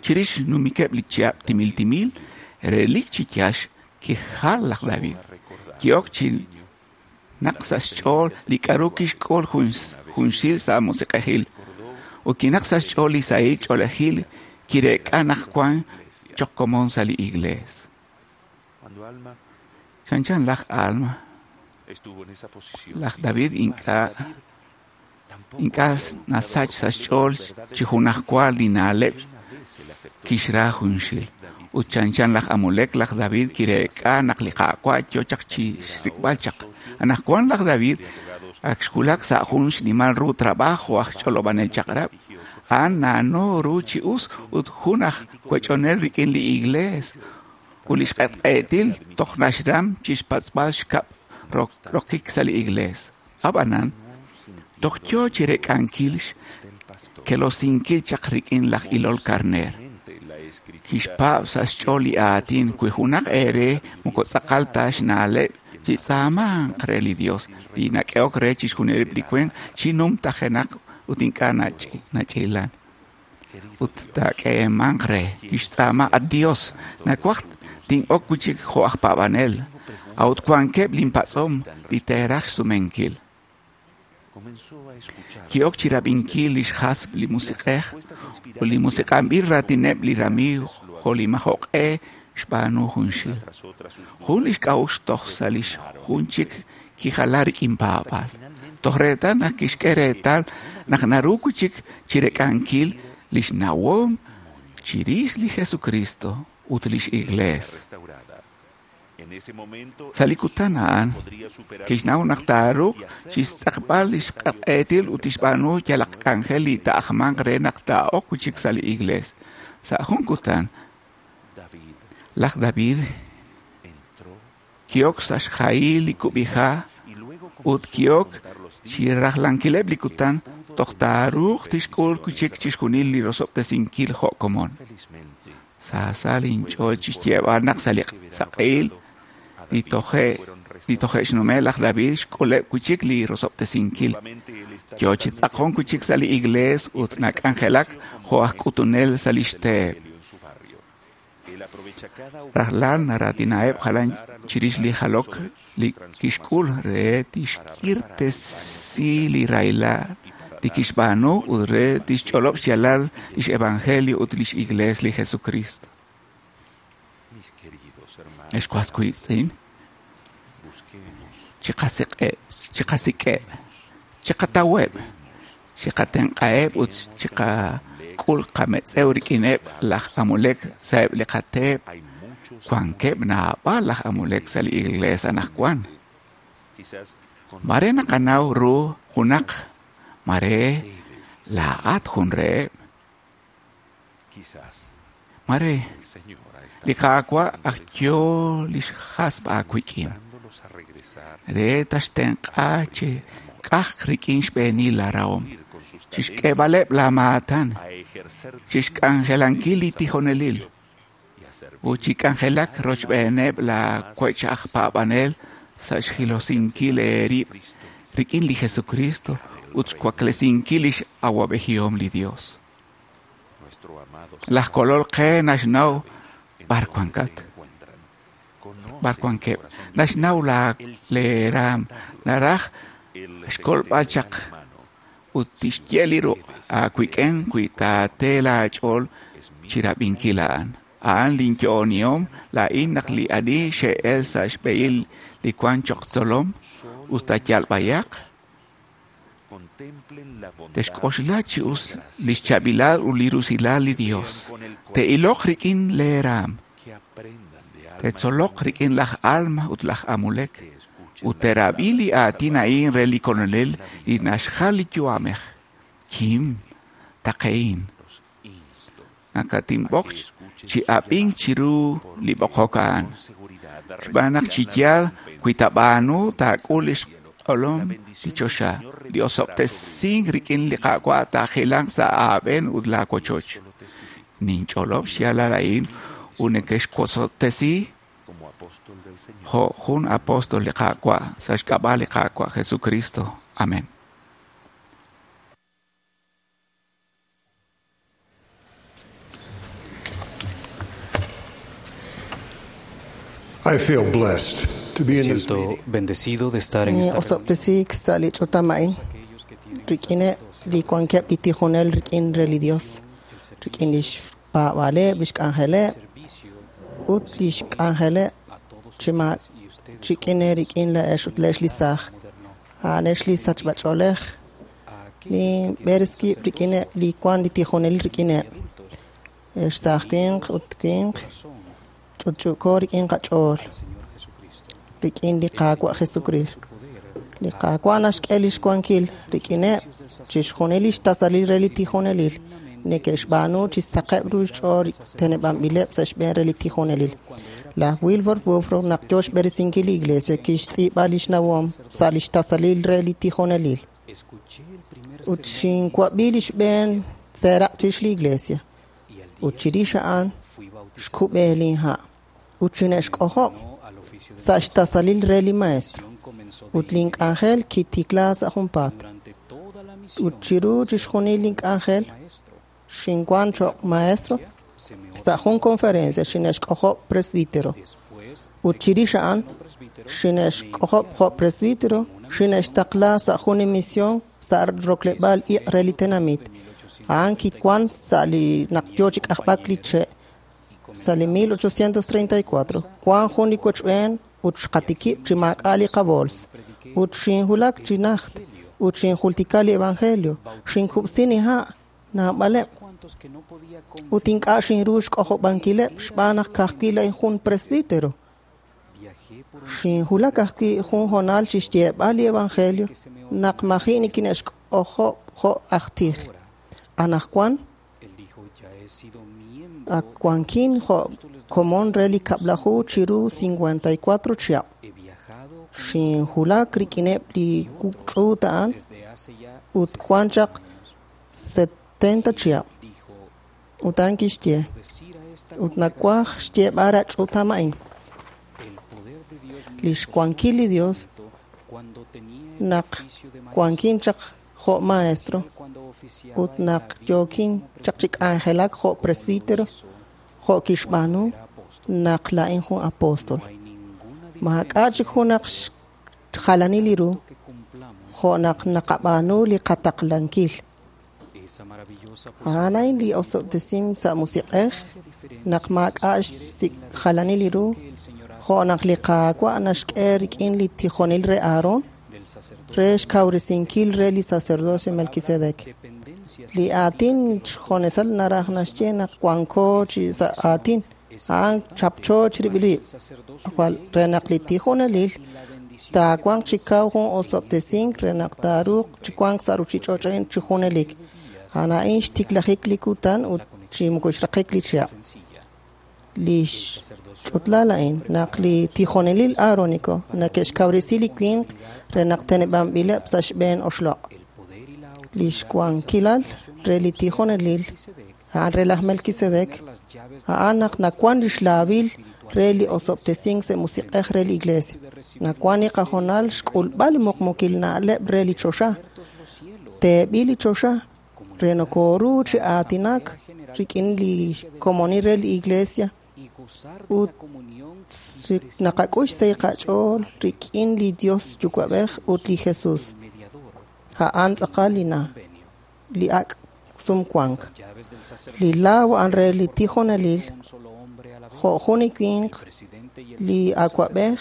Chirix xnumikeb' li chihab' timil timil, relik chi yaal kijal laj David. Ki'ok chi naq sa' xch'ool li k'a'ru kixk'ul junxil sa' musiq'ejil ut kinaq sa' xch'ool li sahil ch'oolejil kireek'a naq wan choq' komon sa' li iglees. Chanchan laj Alma, laj David ink'a' nasach sa' xch'ool chi junajwa li na'leb' kixra junxil. Ut chanchan laj Amulek, laj David kireek'a naq li Qaawa' yo chaq chi xsik'b'al chaq. Anaqwan laj David ak xwulak sa' jun xnimal ru trabajo aj ch'olob'anel chaq'rab'. A'an na'no ru chi us ut jun aj wech'onel rik'in li iglees ut lix q'etq'eetil toj naxram chixpatz'b'al xkab' rokik sa' li iglees. Ab'anan, toj yo chireek'ankil xkelosinkil chaq rik'in laj ilol karneer. Kixpaab' sa' xch'ool li aatin wi junaq eere moko tz'aqal ta xna'leb' chitz'aamanq re li Dios li nak'ehok re chixjunileb' li winq chi numtajenaq ut ink'a' nach'ilan. Ut taak'eemanq re kixtz'aama at Dios nawaj tin'ok wi' chik jo' aj paab'anel a'ut wankeb' linpatz'om li teeraj xsumenkil. Ki'ok chi rab'inkil lix hasb' li musiq'ej ut li musiq'anb'il raatineb' li ramiiw jo' li majo'q'e xb'aanu junxil. Jun lix k'a'uxl toj sa' lix jun chik kijala rik'in paab'aal. Toj reetal naq kixk'e reetal naq naru wi' chik chirek'ankil lix nawom chirix li Jesucristo ut lix Iglees. Sa' li kutan a'an, kixnaw naq taaruuq chixtz'aqb'al lix q'etq'etil ut tixb'aanu yalaq k'anjel li taa'ajmanq re naq taa'ok wi' chik sa' li Iglees. Sa' jun kutan, laj David ki'ok sa' xjahil li kub'iha' ut ki'ok chirajlankileb' li kutan toj taaruuq tixk'ul wi' chik chixjunil li rosob'tesinkil jo' komon. Saasa linch'ool chixyeeb'al naq sa' li saq'ehil li toje' xnume' laj David xk'uleb' wi' chik li rosob'tesinkil. Yo chi tz'aqon wi' chik sa' li Iglees ut nak'anjelak jo' aj k'utunel sa' lix teep. Rajlal naraatinaheb' jalan chirix li jalok li kixk'ul re tixk'irtesi li rahilal li kixb'aanu ut re tixch'olob' xyaalal lix evangelio ut lix Iglees li Jesucristo. Ex was wiitz'in, chiqasik'eb', chiqataweb', chiqatenq'aheb' ut chiqak'ul qametz'ew rik'ineb' laj Amulek sa'eb' li qateep. Wankeb' naab'al laj Amulek sa' li Iglees anaqwan. Mare naqanaw ru junaq, mare laa'at jun reheb'. Mare li Qaawa' aj yo lix hasb' aawik'in re taxtenq'a chi k'ajq rik'in xb'eenil laarahom, chixk'eeb'aleb' laamaatan, chixk'anjelankil li tijonelil ut chik'anjelak rochb'eeneb' laawech aj paab'anel sa' xjilosinkil eerib' rik'in li Jesucristo ut xwaklesinkil lix awab'ejihom li Dios. Laj Kolol qe naxnaw b'ar wankat, b'ar wankeb', naxnaw leeraam, naraj xkolb'al chaq ut tixye li ruq' aawik'in wi taate laach'ool chirab'inkil a'an. A'an linyo'onihom laa'in naq li ani xe'el sa' xb'ehil li wank choq' tzolom ut taayalb'ayaq, texk'oxla chi us lix chaab'ilal ut li rusilal li Dios. Te'iloq rik'in leeraam, te'tzoloq rik'in laj Alma ut laj Amulek, ut te'rab'i li aatin a'in re li Kolonel li naxjal li yu'amej. Kim, taqe'in. Nakatinb'oq chi ab'ink chiru li b'oqok a'an. Xb'aan naq chi yaal wi taab'aanu taak'ul lix q'olom li choxa, li osob'tesink rik'in li Qaawa' taajilanq sa' aab'een ut laawochoch. Ninch'olob' xyaalal a'in ut nekexwosob'tesi jo' jun apóstol li Qaawa' sa' xk'ab'a' li Qaawa' Jesucristo. Amén. I feel blessed to be in this Siento meeting. bendecido de estar en esta reunión. Osob'tesiik sa' li ch'utam a'in rik'ineb' li wankeb' li tijonel rik'in re li Dios, rik'in lix paab'aaleb', lix k'anjeleb' ut lix k'anjeleb' chi ma chik'in rik'in la'ex ut la'ex li saaj. A'anex li sachb'ach'oolej li b'ereskiib' rik'ineb' li wan li tijonel rik'ineb'. Ex saaj winq ut winq ch'utch'uuko rik'in qach'ool rik'in li Qaawa' Jesucristo. Li Qaawa' naxk'e lix wankil rik'ineb' chixjunil lix tasalil re li tijonelil neke'xb'aanu chi saqeb' ru xch'ool teneb'anb'ileb' sa' xb'een re li tijonelil. Laj Wilford Woodruff naq yo xb'eresinkil li Iglesia kixtz'iib'a lix nawom sa' lix tasalil re li tijonelil. Ut xinwab'i li xb'een seeraq' chirix li Iglesia. Ut chirix a'an xkub'e linha' ut xine'xk'ojob' sa' xtasalil re li maestro. Ut link'anjel kitikla sa' junpaat. Ut chiru chixjunil link'anjel xinwan choq' maestro sa' jun conferencia xine'xk'ojob' presbítero. Ut chirix a'an xine'xk'ojob' jo' presbítero Xine'xtaqla sa' jun li misión sa' rokleb'aal iq' re li tenamit. A'an kiwan sa' li naq yoo chi k'ajb'ak li che' sa' li 1834. Wan jun li wochb'een ut xqatikib' chi maak'a' li qabools. Ut xinwulak chi najt ut xinjultika li evangelio. Xinkub'si niha' naab'aleb' ut ink'a' xinru xk'ojob'ankileb' xb'aan naq ka'ajwi' laa'in jun presbítero. Xinwulak ajwi' jun hoonal chi xyeeb'al li evangelio naq maji' nikine'xk'ojob' jo' aj tij. Anaqwan ak wankin jo' komon re li kab'laju chiru 54 chihab'. Xinwulak rik'ineb' li ch'uut a'an ut wan chaq 70 chihab'. Ut a'an kixye, ut nawaj xyeeb'al ra ch'utam a'in. Lix wankil li Dios naq wankin chaq jo' maestro ut naq yookin chaq chi k'anjelak jo' presbítero jo' kixb'aanu naq laa'in jun apóstol. Maak'a' chik junaq xjalanil li ru jo' naq naqab'aanu li qataqlankil. A'an a'in li osob'tesim sa' musiq'ej naq maak'a' xjalanil li ru jo' naq li Qaawa' naxk'e rik'in li tijonil re Aarón re xkawresinkil re li sacerdocio Melquisedec. Li aatin xjonesal naraj naxye naq wanko chi sa' aatin a'an chapcho chirib'il rib' jwal re naq li tijonelil taawanq chi kaw jun osob'tesink re naq taaruuq chi wank sa' ruuchich'och' a'in chi junelik. A'an a'in xtiklajik li kutan ut chi moko xraqik li chihab'. Li xch'utlal a'in naq li tijonelil aarónico neke'xkawresi li winq re naq teneb'anb'ileb' sa' xb'een oxloq'. Li xwankilal re li tijonelil a'an re laj Melquisedec a'an naq nawan lix laawil re li osob'tesink sa' musiq'ej re li iglesia. Nawan li qajonal xk'ulb'al li muqmukil na'leb' re li choxa. Teeb'il li choxa re nokoru chi aatinak rik'in li komonil re li iglesia ut naqak'ux sa' qach'ool rik'in li Dios Yuwa'b'ej ut li Jesus. A'an tz'aqal li na li ak' sumwank. Li laaw a'an re li tijonelil jo' jun li winq li awa'b'ej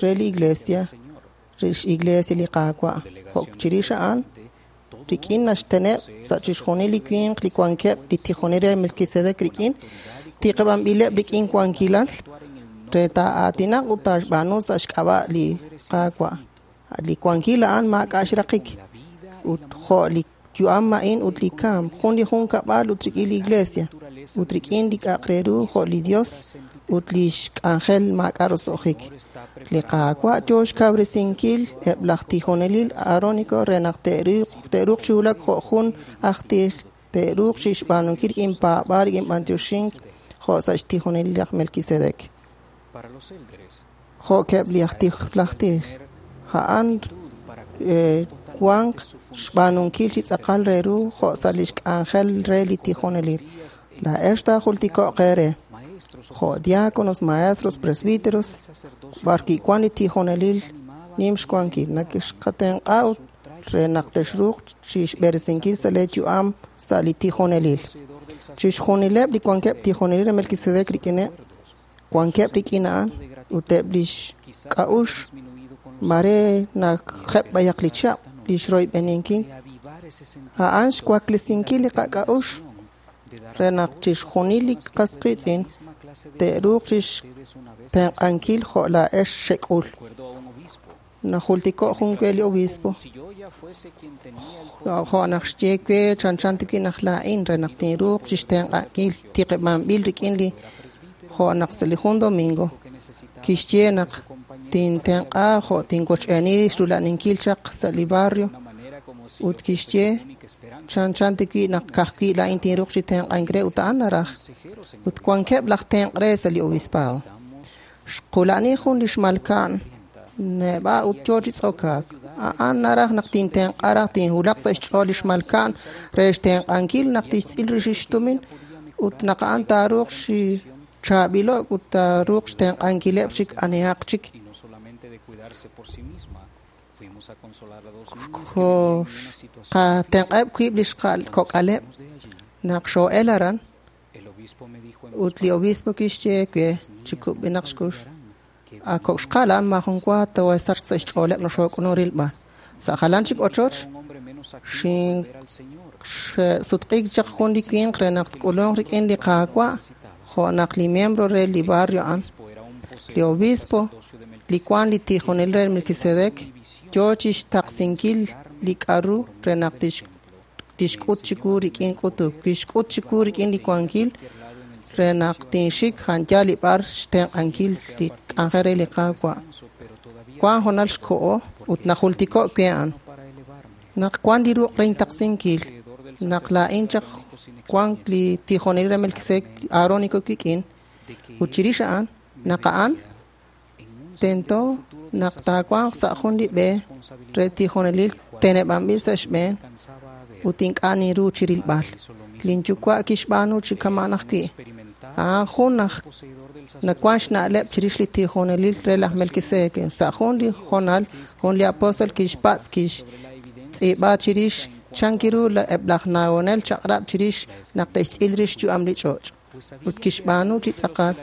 re li iglesia, re x'iglesia li Qaawa'. Jo' chirix a'an rik'in naxteneb' sa' chixjunil li winq li wankeb' li tijonel re Melquisedec rik'in tiqib'anb'ileb' rik'in wankilal re taa'aatinaq ut taaxb'aanu sa' xk'ab'a' li Qaawa'. Li wankil a'an maak'a' xraqik ut jo' li yu'am a'in ut li kamk, jun li junkab'al ut rik'in li iglesia ut rik'in li k'a'aq re ru jo' li Dios ut li xk'anjel maak'a' roso'jik. Li Qaawa' yoo xkawresinkil eb' laj tijonelil aarónico re naq te'ruuq chi wulak jo' jun aj tij, te'ruuq chi xb'aanunkil rik'in paab'aal rik'in b'antioxink jo' sa' xtijonelil laj Melquisedec. Jo' keb' li aj tij laj tij a'an wanq xb'aanunkil chi tz'aqal re ru jo' sa' li xk'anjel re li tijonelil. Laa'ex taajultiko'q eere jo' diáconos, maestros, presbíteros, b'ar kiwan li tijonelil nim xwankil nakexqatenq'a ut re naq texruuq chi xb'eresinkil sa' lee yu'am sa' li tijonelil. Chixjunileb' li wankeb' tijonelil re Melquisedec rik'ineb' wankeb' rik'in a'an ut eb' li xk'a'ux mare nakjeb' b'ayaq li chihab' li xroyb'eninkil a'an xwaklesinkil li qak'a'ux re naq chixjunil li qas qiitz'in te'ruuq chi xtenq'ankil jo' laa'ex xek'ul. Najultiko' jun we li obispo jo' naq xye we chanchan tiwi naq laa'in re naq tinruuq chi xtenq'ankil tiqib'anb'il rik'in li jo' naq sa' li jun domingo kixye naq tintenq'a jo' tinwoch'eeni xrula'ninkil chaq sa' li barrio ut kixye chanchan tiwi naq ka'ajwi' laa'in tinruuq chi tenq'ank re ut a'an naraj ut wankeb' laj tenq' re sa' li obispado. Xqula'ni jun li xmalka'n neb'a' ut yoo chi tz'okaak. A'an naraj naq tintenq'a raj tinwulaq sa' xch'ool li xmalka'n re xtenq'ankil naq tixtz'il rix xtumin ut naq a'an taaruuq chi chaab'ilo'k ut taaruuq xtenq'ankileb' chik anihaq chik. Qatenq'eb' wiib' li xkok'aleb' naq xoo'el aran ut li obispo kixye we chi kub'enaq xkux a kok' xqal a'an maajun wa too'esachq sa' xch'ooleb' naq xook'ulunk rilb'al. Sa' jalan chik ochoch xsutq'iik chaq jun li winq re naq tk'ulunk rik'in li Qaawa' jo' naq li miembro re li barrio a'an. Li obispo li wan li tijonel re Melquisedec yoo chixtaqsinkil li k'a'ru re naq tixk'ut chiwu rik'in k'utuk. Kixk'ut chiwu rik'in li wankil re naq tinxik janyal li b'ar xtenq'ankil li k'anjel re li Qaawa'. Wan hoonal xko'o ut najultiko' we a'an. Naq wan li ruq' re intaqsinkil, naq laa'in chaq wan li tijonel re Melquisedec Aarónico wik'in, ut chirix a'an, naq a'an tento naq taawanq sa' jun li b'e re tijonelil teneb'anb'il sa' xb'een ut ink'a' ninru chirilb'al. Lin yuwa' kixb'aanu chi kama'an ajwi'. A'an jun aj nawan xna'leb' chirix li tijonelil re laj Melquisedec. Sa' jun li hoonal, jun li apóstol kixpatz' kixtz'iib'a chirix chan kiru eb' laj nawonel chaq'rab' chirix naq te'xtz'il rix xyu'am li ch'och'. Ut kixb'aanu chi tz'aqal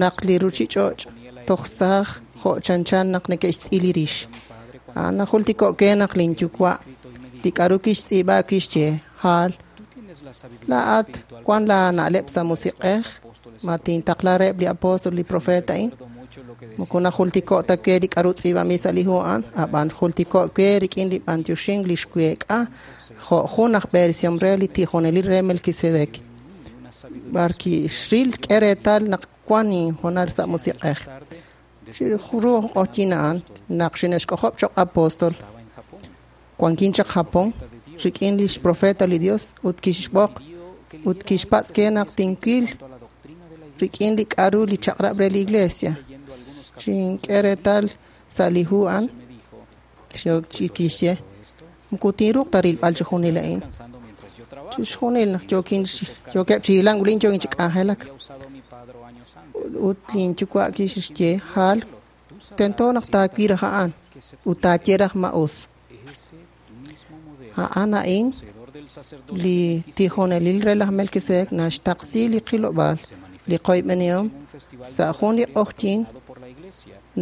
naq li ruchich'och' toj saaj jo' chanchan naq neke'xtz'il li rix. A'an najultiko' ke naq lin yuwa' li k'a'ru kixtz'iib'a kixye Hal, laa'at wan laa na'leb' sa' musiq'ej ma tintaqla reheb' li apóstol li profeta a'in. Moko najultiko' ta we li k'a'ru tz'iib'anb'il sa' li hu a'an, ab'an jultiko' we rik'in li b'antioxink li xweek'a jo' jun aj b'eresihom re li tijonelil re Melquisedec. B'ar kixril k'e reetal naq wan inhoonal sa' musiq'ej. Chiru q'oqyin a'an naq xine'xk'ojob' choq' apóstol, wankin chaq Japón rik'in lix profeta li Dios ut kixb'oq ut kixpatz' ke naq tinwil rik'in li k'a'ru li chaq'rab' re li iglesia. Xink'e reetal sa' li hu a'an kixye moko tinruuq ta rilb'al chixjunil a'in. Chixjunil naq yookeb' chi hilank ulin yookin chi k'anjelak. Ut lin yuwa' kixye Hal, tento naq taawil raj a'an ut taaye raj ma us. A'an a'in li tijonelil re laj Melquisedec naxtaqsi li qilob'aal li qoyb'enihom sa' jun li q'oqyin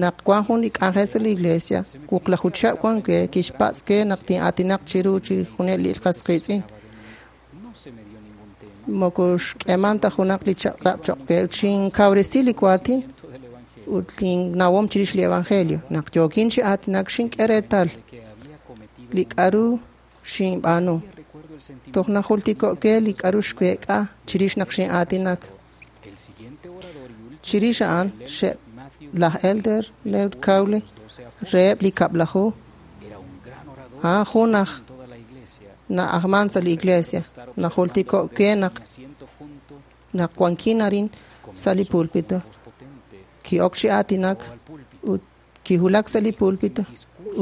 naq wan jun li k'anjel sa' li iglesia wuqlaju chihab' wan we kixpatz' we naq tin'aatinaq chiru chixjunil li qas qiitz'in. Moko xk'eeman ta junaq li chaq'rab' choq' we ut xinkawresi li waatin ut linnawom chirix li evangelio. Naq yookin chi aatinak xink'e reetal li k'a'ru xinb'aanu. Toj najultiko' we li k'a'ru xweek'a chirix naq xin'aatinak. Chirix a'an laj Elder Leo Cowley reheb' li kab'laju a'an jun aj na'ajman sa' li iglesia. Najultiko' we naq wankin arin sa' li púlpito. Ki'ok chi aatinak ut kiwulak sa' li púlpito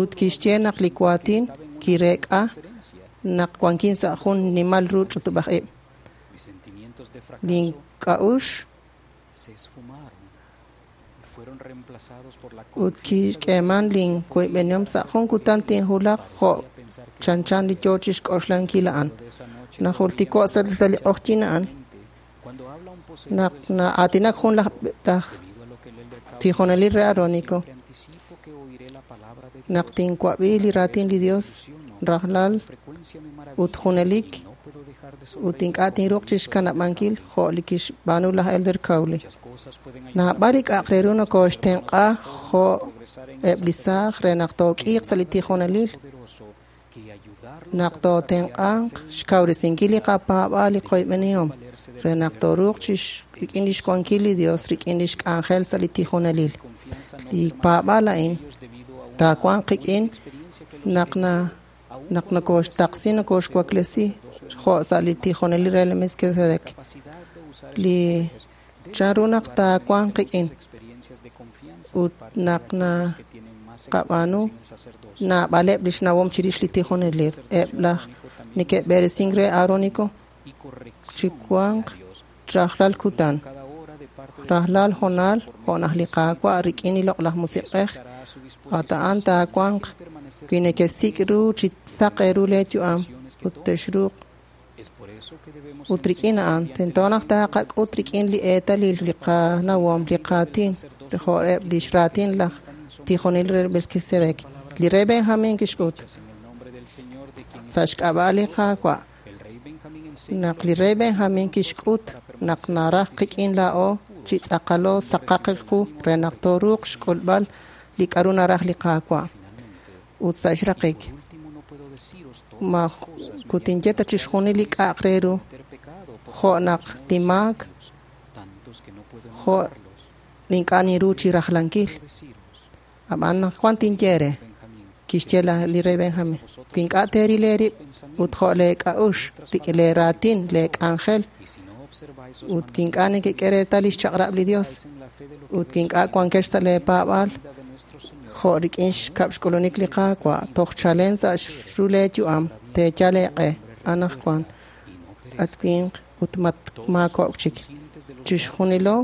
ut kixye naq li waatin kireek'a naq wankin sa' jun nimal ru ch'utub'aj ib'. Lin k'a'uxl ut kixk'eeman lin woyb'enihom sa' jun kutan tinwulaq jo' chanchan li yoo chixk'oxlankil a'an. Najultiko' sa' li q'oqyin a'an naq na'aatinak jun laj tijonelil re Aarónico naq tinwab'i li raatin li Dios rajlal ut junelik ut ink'a' tinruuq chixkanab'ankil jo' li kixb'aanu laj Elder Cowley. Naab'al li k'a'aq re ru nokooxtenq'a jo' eb' li saaj re naq took'iiq sa' li tijonelil, naq tootenq'anq xkawresinkil li qapaab'aal li qoyb'enihom re naq tooruuq rik'in lix wankil li Dios rik'in lix k'anjel sa' li tijonelil. Li paab'aal a'in taawanq qik'in naq nokooxtaqsi nokooxwaklesi jo' sa' li tijonelil re Melquisedec. Li chanru naq taawanq qik'in ut naq naqab'aanu naab'aleb' lix nawom chirix li tijonelil. Eb' laj neke'b'eresink re Aarónico chi wanq rajlal kutan. Rajlal hoonal jo' naq li Qaawa' rik'in li Loq'laj Musiq'ej at a'an taawanq wi nekesik' ru chi saq eeru lee yu'am ut texruuq ut rik'in a'an tento naq taqak'ut rik'in li eetalil li qanawom li qaatin jo' eb' lix raatin laj tijonel re Melquisedec. Li rey Benjamin kixk'ut sa' xk'ab'a' li Qaawa' naq li rey Benjamin kixk'ut naq naraj qik'in laa'o chi tz'aqalo saqaq qu re naq tooruuq xk'ulb'al li k'a'ru naraj li Qaawa'. Ut sa' xraqik ma kutinye ta chixjunil li k'a'aq re ru jo' naq li maak jo' ink'a' ninru chi rajlankil. Ab'an naq wan tinye re kixye li rey Benjamin wi ink'a' teeril eerib' ut jo' lee k'a'uxl rik'in lee raatin lee k'anjel ut wi ink'a' nekek'e reetal lix chaq'rab' li Dios ut wi ink'a' wankex sa' lee paab'aal jo' rik'in xkab' xk'ulunik li Qaawa' toj chalen sa' xru lee yu'am teeyal eeq'e anaqwan at winq ut maakok' chik. Chixjunilo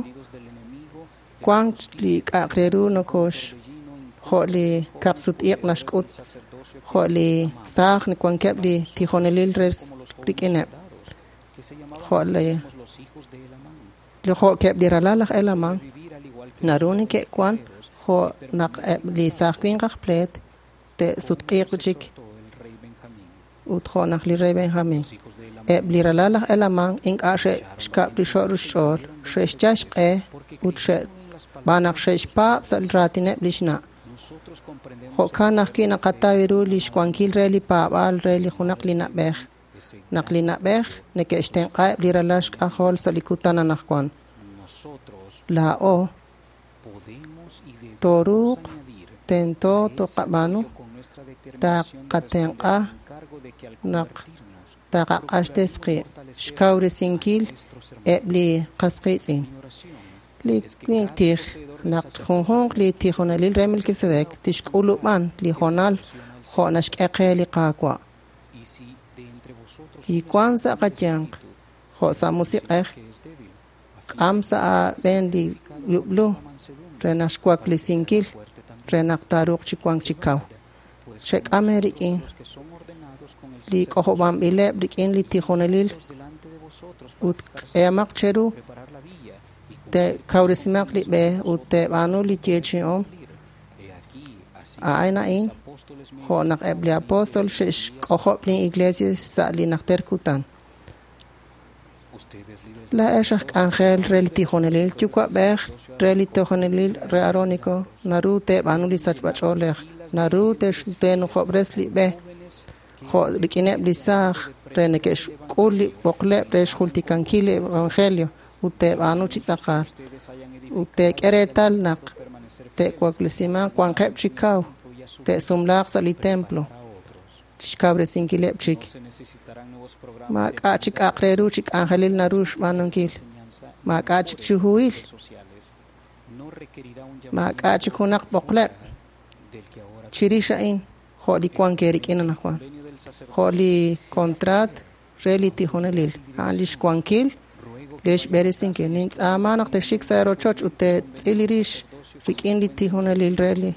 wank li k'a'aq re ru nokox jo' li kaqsut-iq' naxk'ut jo' li saaj wankeb' li tijonelil re rik'ineb' jo' li jo'keb' li ralal laj Helaman naru neke'wan jo' naq eb' li saaj winq aj pleet te'sutq'iiq chik ut jo' naq li rey Benjamin. Eb' li ralal laj Helaman ink'a' xe'xkab' rixo' xch'ool xe'xyal xq'e ut xe'b'aan naq xe'xpaab' sa' raatineb' lix na'. Jo'kan ajwi' naqataw ru li xwankil re li paab'aal re li junaq li na'b'ej. Naq li na'b'ej neke'xtenq'aheb' li ralal xk'ajol sa' li kutan anaqwan. Laa'o tooruuq tento toqab'aanu taqatenq'a naq taqaq'axtes qib' xkawresinkil eb' li qas qiitz'in. Li winq tij naq junjunq li tijonelil re Melquisedec tixk'ulub'an li hoonal jo' naxk'e qe li Qaawa'. Wi wank sa' qayanq jo' sa' musiq'ej k'am sa' aab'een li yub'lu re naq xwaklesinkil re naq taaruuq chi wank chi kaw. Xek'am eerik'in li k'ojob'anb'ileb' rik'in li tijonelil ut k'ehamaq cheru te'kawresimaq li b'e ut te'b'aanu li yeechi'om. A'an a'in jo' naq eb' li apóstol xe'xk'ojob' li iglesia sa' li najter kutan. Laa'ex aj k'anjel re li tijonelil yuwa'b'ej re li tijonelil re Aarónico naru te'b'aanu li sachb'ach'oolej naru te'nujob'res li b'e jo' rik'ineb' li saaj re neke'xk'ul li b'oqleb' re xjultikankil li evangelio ut te'b'aanu chi tz'aqal ut te'k'e reetal naq te'waklesimanq wanqeb' chi kaw te'sumlaaq sa' li templo xkawresinkileb' chik. Maak'a' chik k'a'aq re ru chi k'anjelil naru xb'aanunkil. Maak'a' chik chi huhil. Maak'a' chik junaq b'oqleb' chirix a'in jo' li wank eerik'in anaqwan. Jo' li contrat re li tijonelil. A'an li xwankil li xb'eresinkil. Nintz'aama naq texxik sa' rochoch ut te'tz'il rix rik'in li tijonelil re li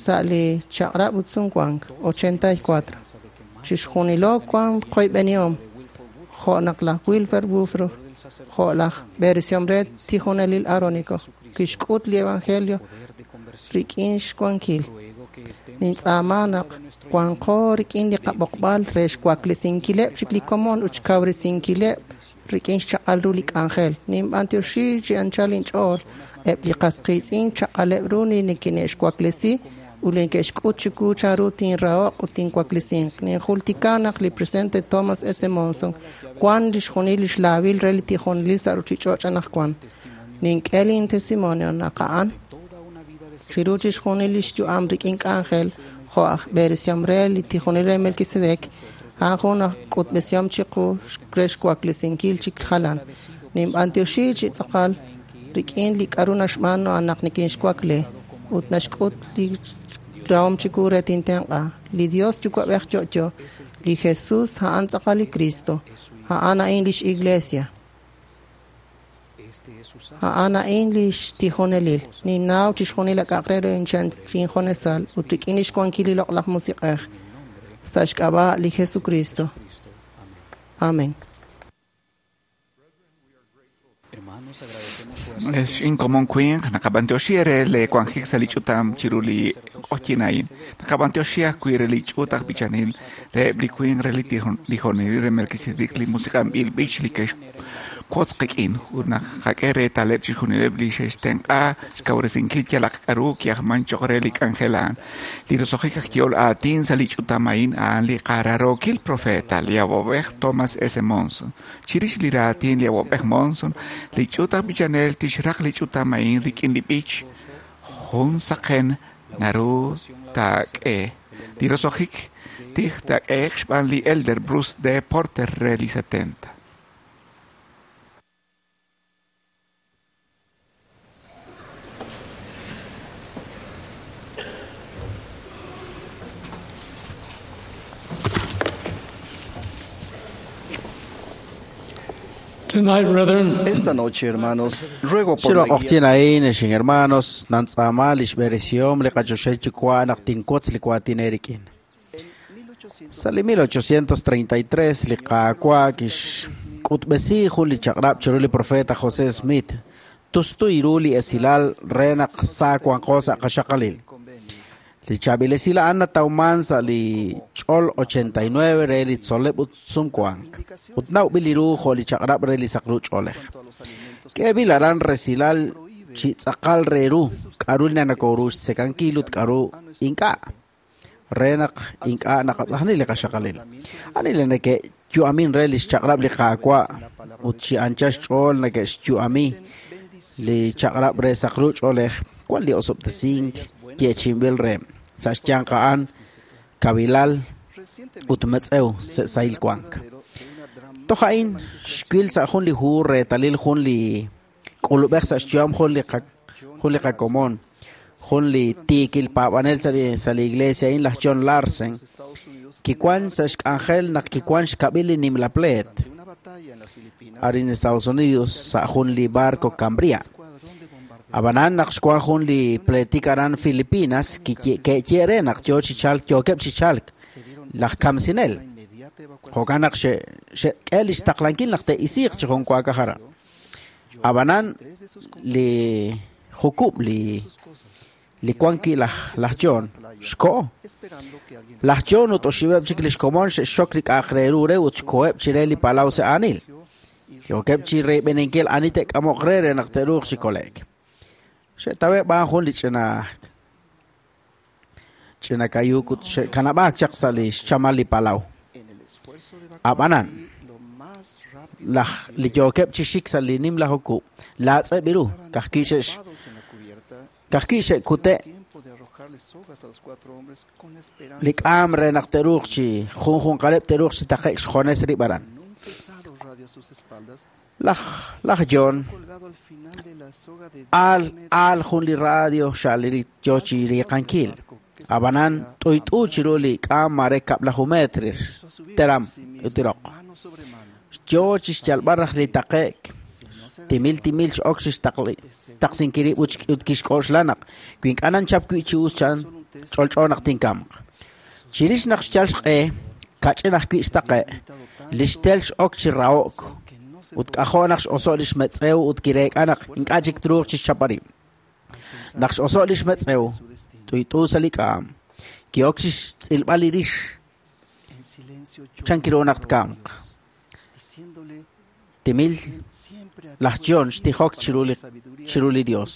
sa' li chaq'rab' ut sumwank 84. Chixjunilo wank qoyb'enihom jo' naq laj Wilfer Woodruff jo' laj b'eresihom re tijonelil Aarónico kixk'ut li evangelio rik'in xwankil. Nintz'aama naq wanqo rik'in li qab'oqb'al re xwaklesinkileb' chik li komon ut xkawresinkileb' rik'in xchaq'al ru li k'anjel. Ninb'antioxi chi anchal inch'ool eb' li qas qiitz'in chaq'aleb' ru li neke'xwaklesi ut li neke'xk'ut chiwu chanru tinrahoq ut tinwaklesinq. Ninjultika naq li presidente Thomas S. Monson wan lix junil lix laawil re li tijonelil sa' ruchich'och' anaqwan. Nink'e lin testimonio naq a'an chiru chixjunil lix yu'am rik'in k'anjel jo' aj b'eresihom re li tijonelil re Melquisedec a'an jun aj k'utb'esihom chiqu re xwaklesinkil chik jalan. Ninb'antioxi chi tz'aqal rik'in li k'a'ru naxb'aanu naq nikinxwakle ut naxk'ut li rahom chiwu re tintenq'a. Li Dios yuwa'b'ej yo'yo, li Jesus a'an tz'aqal li Cristo, a'an a'in lix iglesia. A'an a'in lix tijonelil. Ninnaw chixjunil ak'aq re ru injonesal ut rik'in lix wankil li Loq'laj Musiq'ej sa' xk'ab'a' li Jesucristo. Amén. Es inkomon winq naqab'antioxi re le wanjik sa' li ch'utam chiru li q'oqyinayin. Naqab'antioxi ajwi' re li ch'uut aj b'ichanil reheb' li winq re li tijonelil re Melquisedec li musiq'anb'il b'ich li ke'xwotz qik'in ut naqak'e reetaleb' chixjunileb' li xe'xtenq'a xkawresinkil yalaq k'a'ru ki'ajman cho'q re li k'anjel a'an. Li roso'jik aj yehol aatin sa' li ch'utam a'in a'an li qararookil profeta li awab'ej Thomas S. Monson. Chirix li raatin li awab'ej Monson, li ch'uut aj b'ichanel tixraq li ch'utam a'in rik'in li b'ich jun saqen naru taak'e. Li roso'jik tij taak'ehe'q xb'aan li Elder Bruce D. Porter re li 70. Tonight, brethren, Esta noche, hermanos, ruego por Chiro la guía q'oqyin a'in exin hermanos nantz'amal lix b'eresihom li qachoxej yuwa' naq tinwotz li waatin eerik'in. Sa' li 1833 li Qaawa' kixk'utb'esi jun li chaq'rab' chiru li profeta José Smith tustu ru li esilal re naq sa wanqo sa' qaxaqalil. Li chaab'il esil a'an natawman sa' li ch'ol 89 re li tzol'leb' ut sumwank ut nawb'il li ru jo' li chaq'rab' re li saqru ch'oolej. K'eeb'il aran resilal chi tz'aqal re ru k'a'ru li nanakoru xtzekankil ut k'a'ru ink'a' re naq ink'a' naqatz'ajni li qaxaqalil. Ani li neke'yu'amin re li xchaq'rab' li Qaawa' ut chi anchal xch'ool neke'xyu'ami li chaq'rab' re saqru ch'oolej wan li osob'tesink yeechi'inb'il re sa' xyanq a'an kavilal ut metz'ew sa' sahil wank. Toj a'in xwil sa' jun li hu reetalil jun li k'ulub'ej sa' xyu'am jun li qakomon, jun li tiikil paab'anel sa' li iglesia a'in laj John Larsen, kiwan sa' xk'anjel naq kiwan xkab'il li nimla pleet arin Estados Unidos sa' jun li barco Cambria. Ab'anan naq xwan jun li pleetik aran Filipinas ke'ye re naq yo chi chalk yookeb' chi chalk laj kamsinel. Jo'kan naq xe'k'e li xtaqlankil naq te'isiiq chi jun waakaj aran. Ab'anan li jukub' li wan wi' laj John xko'o. Laj John ut oxib'eb' chik li xkomon xe'xxok li k'a'aq re ru re ut xkoheb' chire li palaw sa' aanil. Yookeb' chi reeb'eninkil ani te'k'amoq re re naq te'ruuq chi kole'k. Xe'taweb' b'an jun li ch'ina kayuuk ut xe'kanab'aak chaq sa' li xchamal li palaw. Ab'anan laj li yookeb' chi xik sa' li nimla jukub' laatz'eb' ru kajwi' xe'kute' li k'aam re naq te'ruuq chi junjunqaleb' te'ruuq chi taqe'k xjones rib' aran. Laj John aal jun li radio xa'liri yo chi riiqankil. Ab'anan t'uyt'u chiru li k'aam mare kab'laju metr teram utiroq. Yo chi xyalb'al raj li taqe'k timil timil x'ok chi xtaqsinkil rib' ut kixk'oxla naq wi ink'a' nanchap wi' chi us chan ch'olch'o naq tinkamq. Chirix naq xyal xq'e kach'in ajwi' xtaqe' li xtel x'ok chi raho'k ut k'ajo' naq x'oso' li xmetz'ew ut kireek'a naq ink'a' chik truuq chi xchapal rib'. Naq x'oso' li xmetz'ew t'uyt'u sa' li k'aam ki'ok chi xtz'ilb'al li rix chan kiru naq tkamq. Timil laj John xtijok chiru li Dios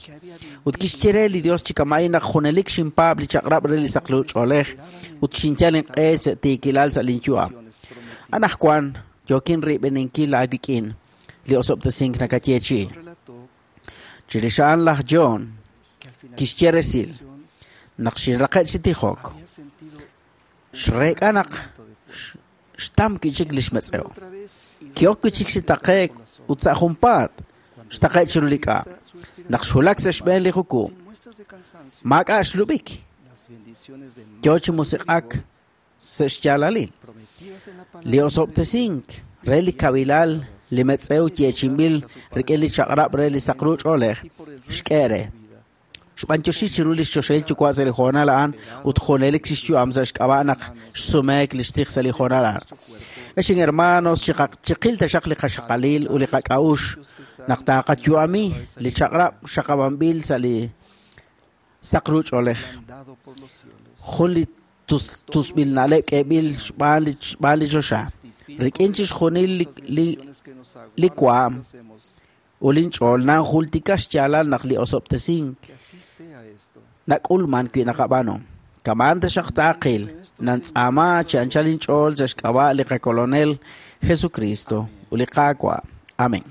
ut kixye re li Dios chi kama'in naq junelik xinpaab' li chaq'rab' re li saqlu ch'oolej ut xinyal inq'e sa' tiikilal sa' linyu'am. Anajwan yookin riib'eninkil aawik'in li osob'tesink nakayeechi. Chirix a'an laj John kixye resil naq xinraqe' chi tijok xreek'a naq xtam wi' chik li xmetz'ew. Ki'ok wi' chik chi taqe'k ut sa' junpaat xtaqe' chiru li k'aam. Naq xwulak sa' xb'een li jukub' maak'a' xlub'ik. Yo chi musiq'ak sa' xyaalalil. Li osob'tesink re li kavilal Li metz'ew yeechi'inb'il rik'in li chaq'rab' re li saqru ch'oolej xk'e re. Xb'antioxi chiru lix choxahil yuwa' sa' li hoonal a'an ut junelik xyu'am sa' xk'ab'a' naq xsumeek li xtij sa' li hoonal a'an. Ex hermanos, chiqil taxaq li qaxaqalil ut li qak'a'ux naq taaqayu'ami li chaq'rab' xaqab'anb'il sa' li saqru ch'oolej. Jun li tusb'il na'leb' k'eeb'il xb'aan li choxa. Rik'in chixjunil li waam ut linch'ool nanjultika xyaalal naq li osob'tesink nak'ulman wi naqab'aanu. Kaman taxaq taaqil nantz'aama chi anchal inch'ool sa' xk'ab'a' li qakolonel Jesucristo ut li Qaawa'. Amén.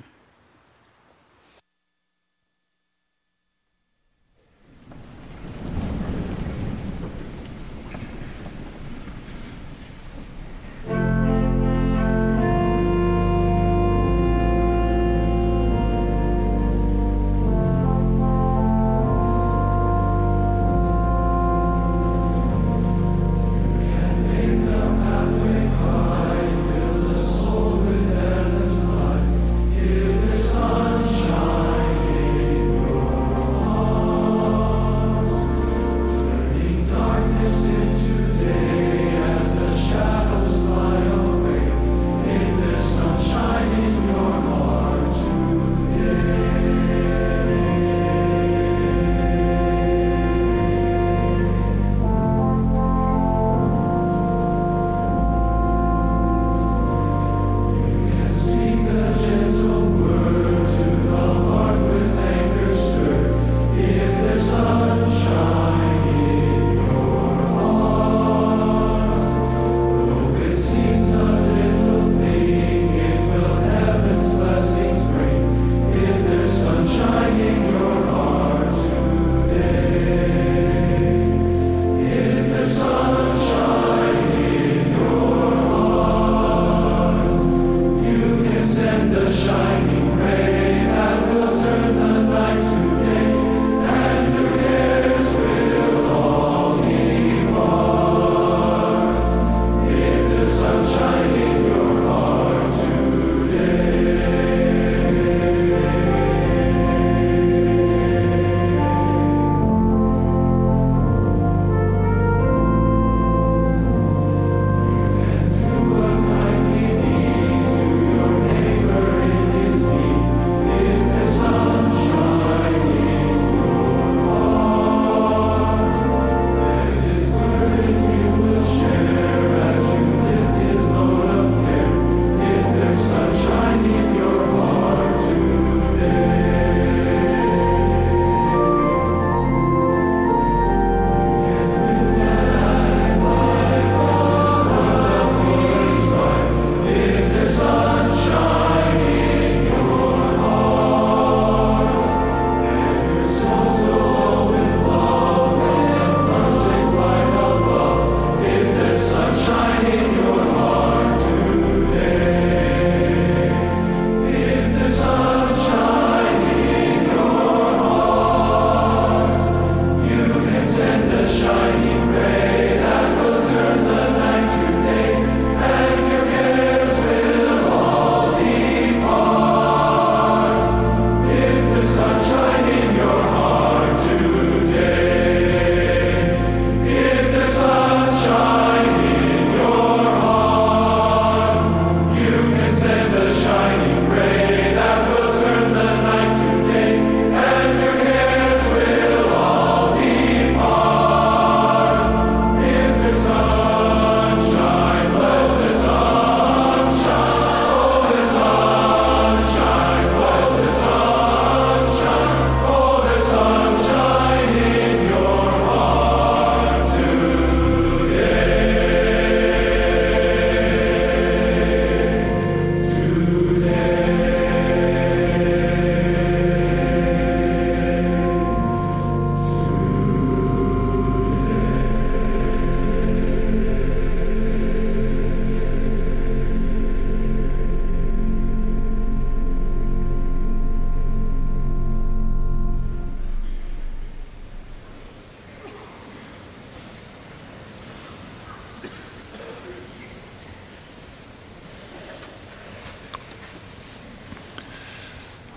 Soul with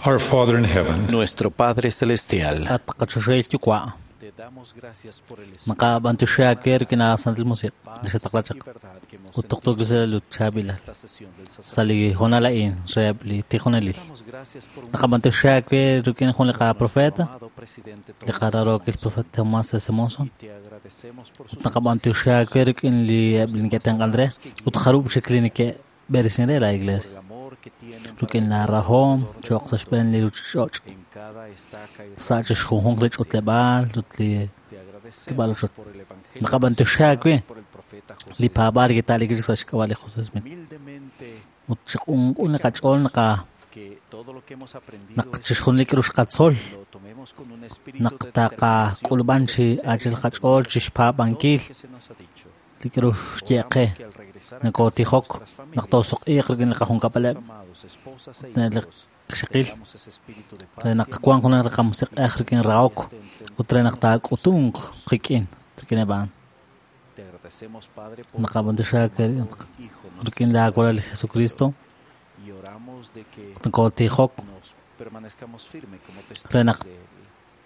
Our Father in heaven, Nuestro Padre Celestial, At qachoxel yuwa'. Naqab'antuxaak rik'in Santil Musiq' li xataqlachaq ut tuqtuuk li chaab'ilal sa' li hoonal a'in reheb' li tijonelil. Naqab'antuxaak rik'in jun li qaprofeta, li qararokil profeta Tomás S. Monson. Ut naqab'antuxaak rik'in li eb' li neke'tenq'an re ut jarub' chik li neke'b'eresin re la iglesia. Rik'in la rahom cho'q sa' xb'een li ruuchich'och' sa' chixjunjunq li ch'utleb'aal ut li kib'al ochoch. Naqab'antuxaak wi li paab'aal li kita'lik sa' xk'ab'a' li José Smith. Ut chiq'unq'un li qach'ool naqa naq chixjunil li k'aru xqatzol naq taqak'ulub'an chi achil qach'ool chixpaab'ankil li k'aru xye qe nakootijok naq toosuq'iiq rik'in li qajunkab'aleb' li qxaqil re naq wanq junaq li qamusiq'ej rik'in rahok ut re naq taak'utunq qik'in rik'in eb' a'an. Naqab'antuxaak rik'in la walal li Jesucristo nakootijok re naq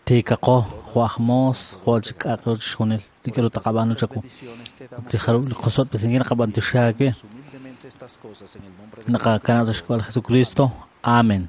tiikaqo jo' aj moos jo' chik k'a'aq ru chixjunil li k'aru taqab'aanu chawu ut li jarub' li qosob'tesinkil naqab'antuxaak wi naqakanab' sa' xk'ab'a' li Jesucristo. Amén.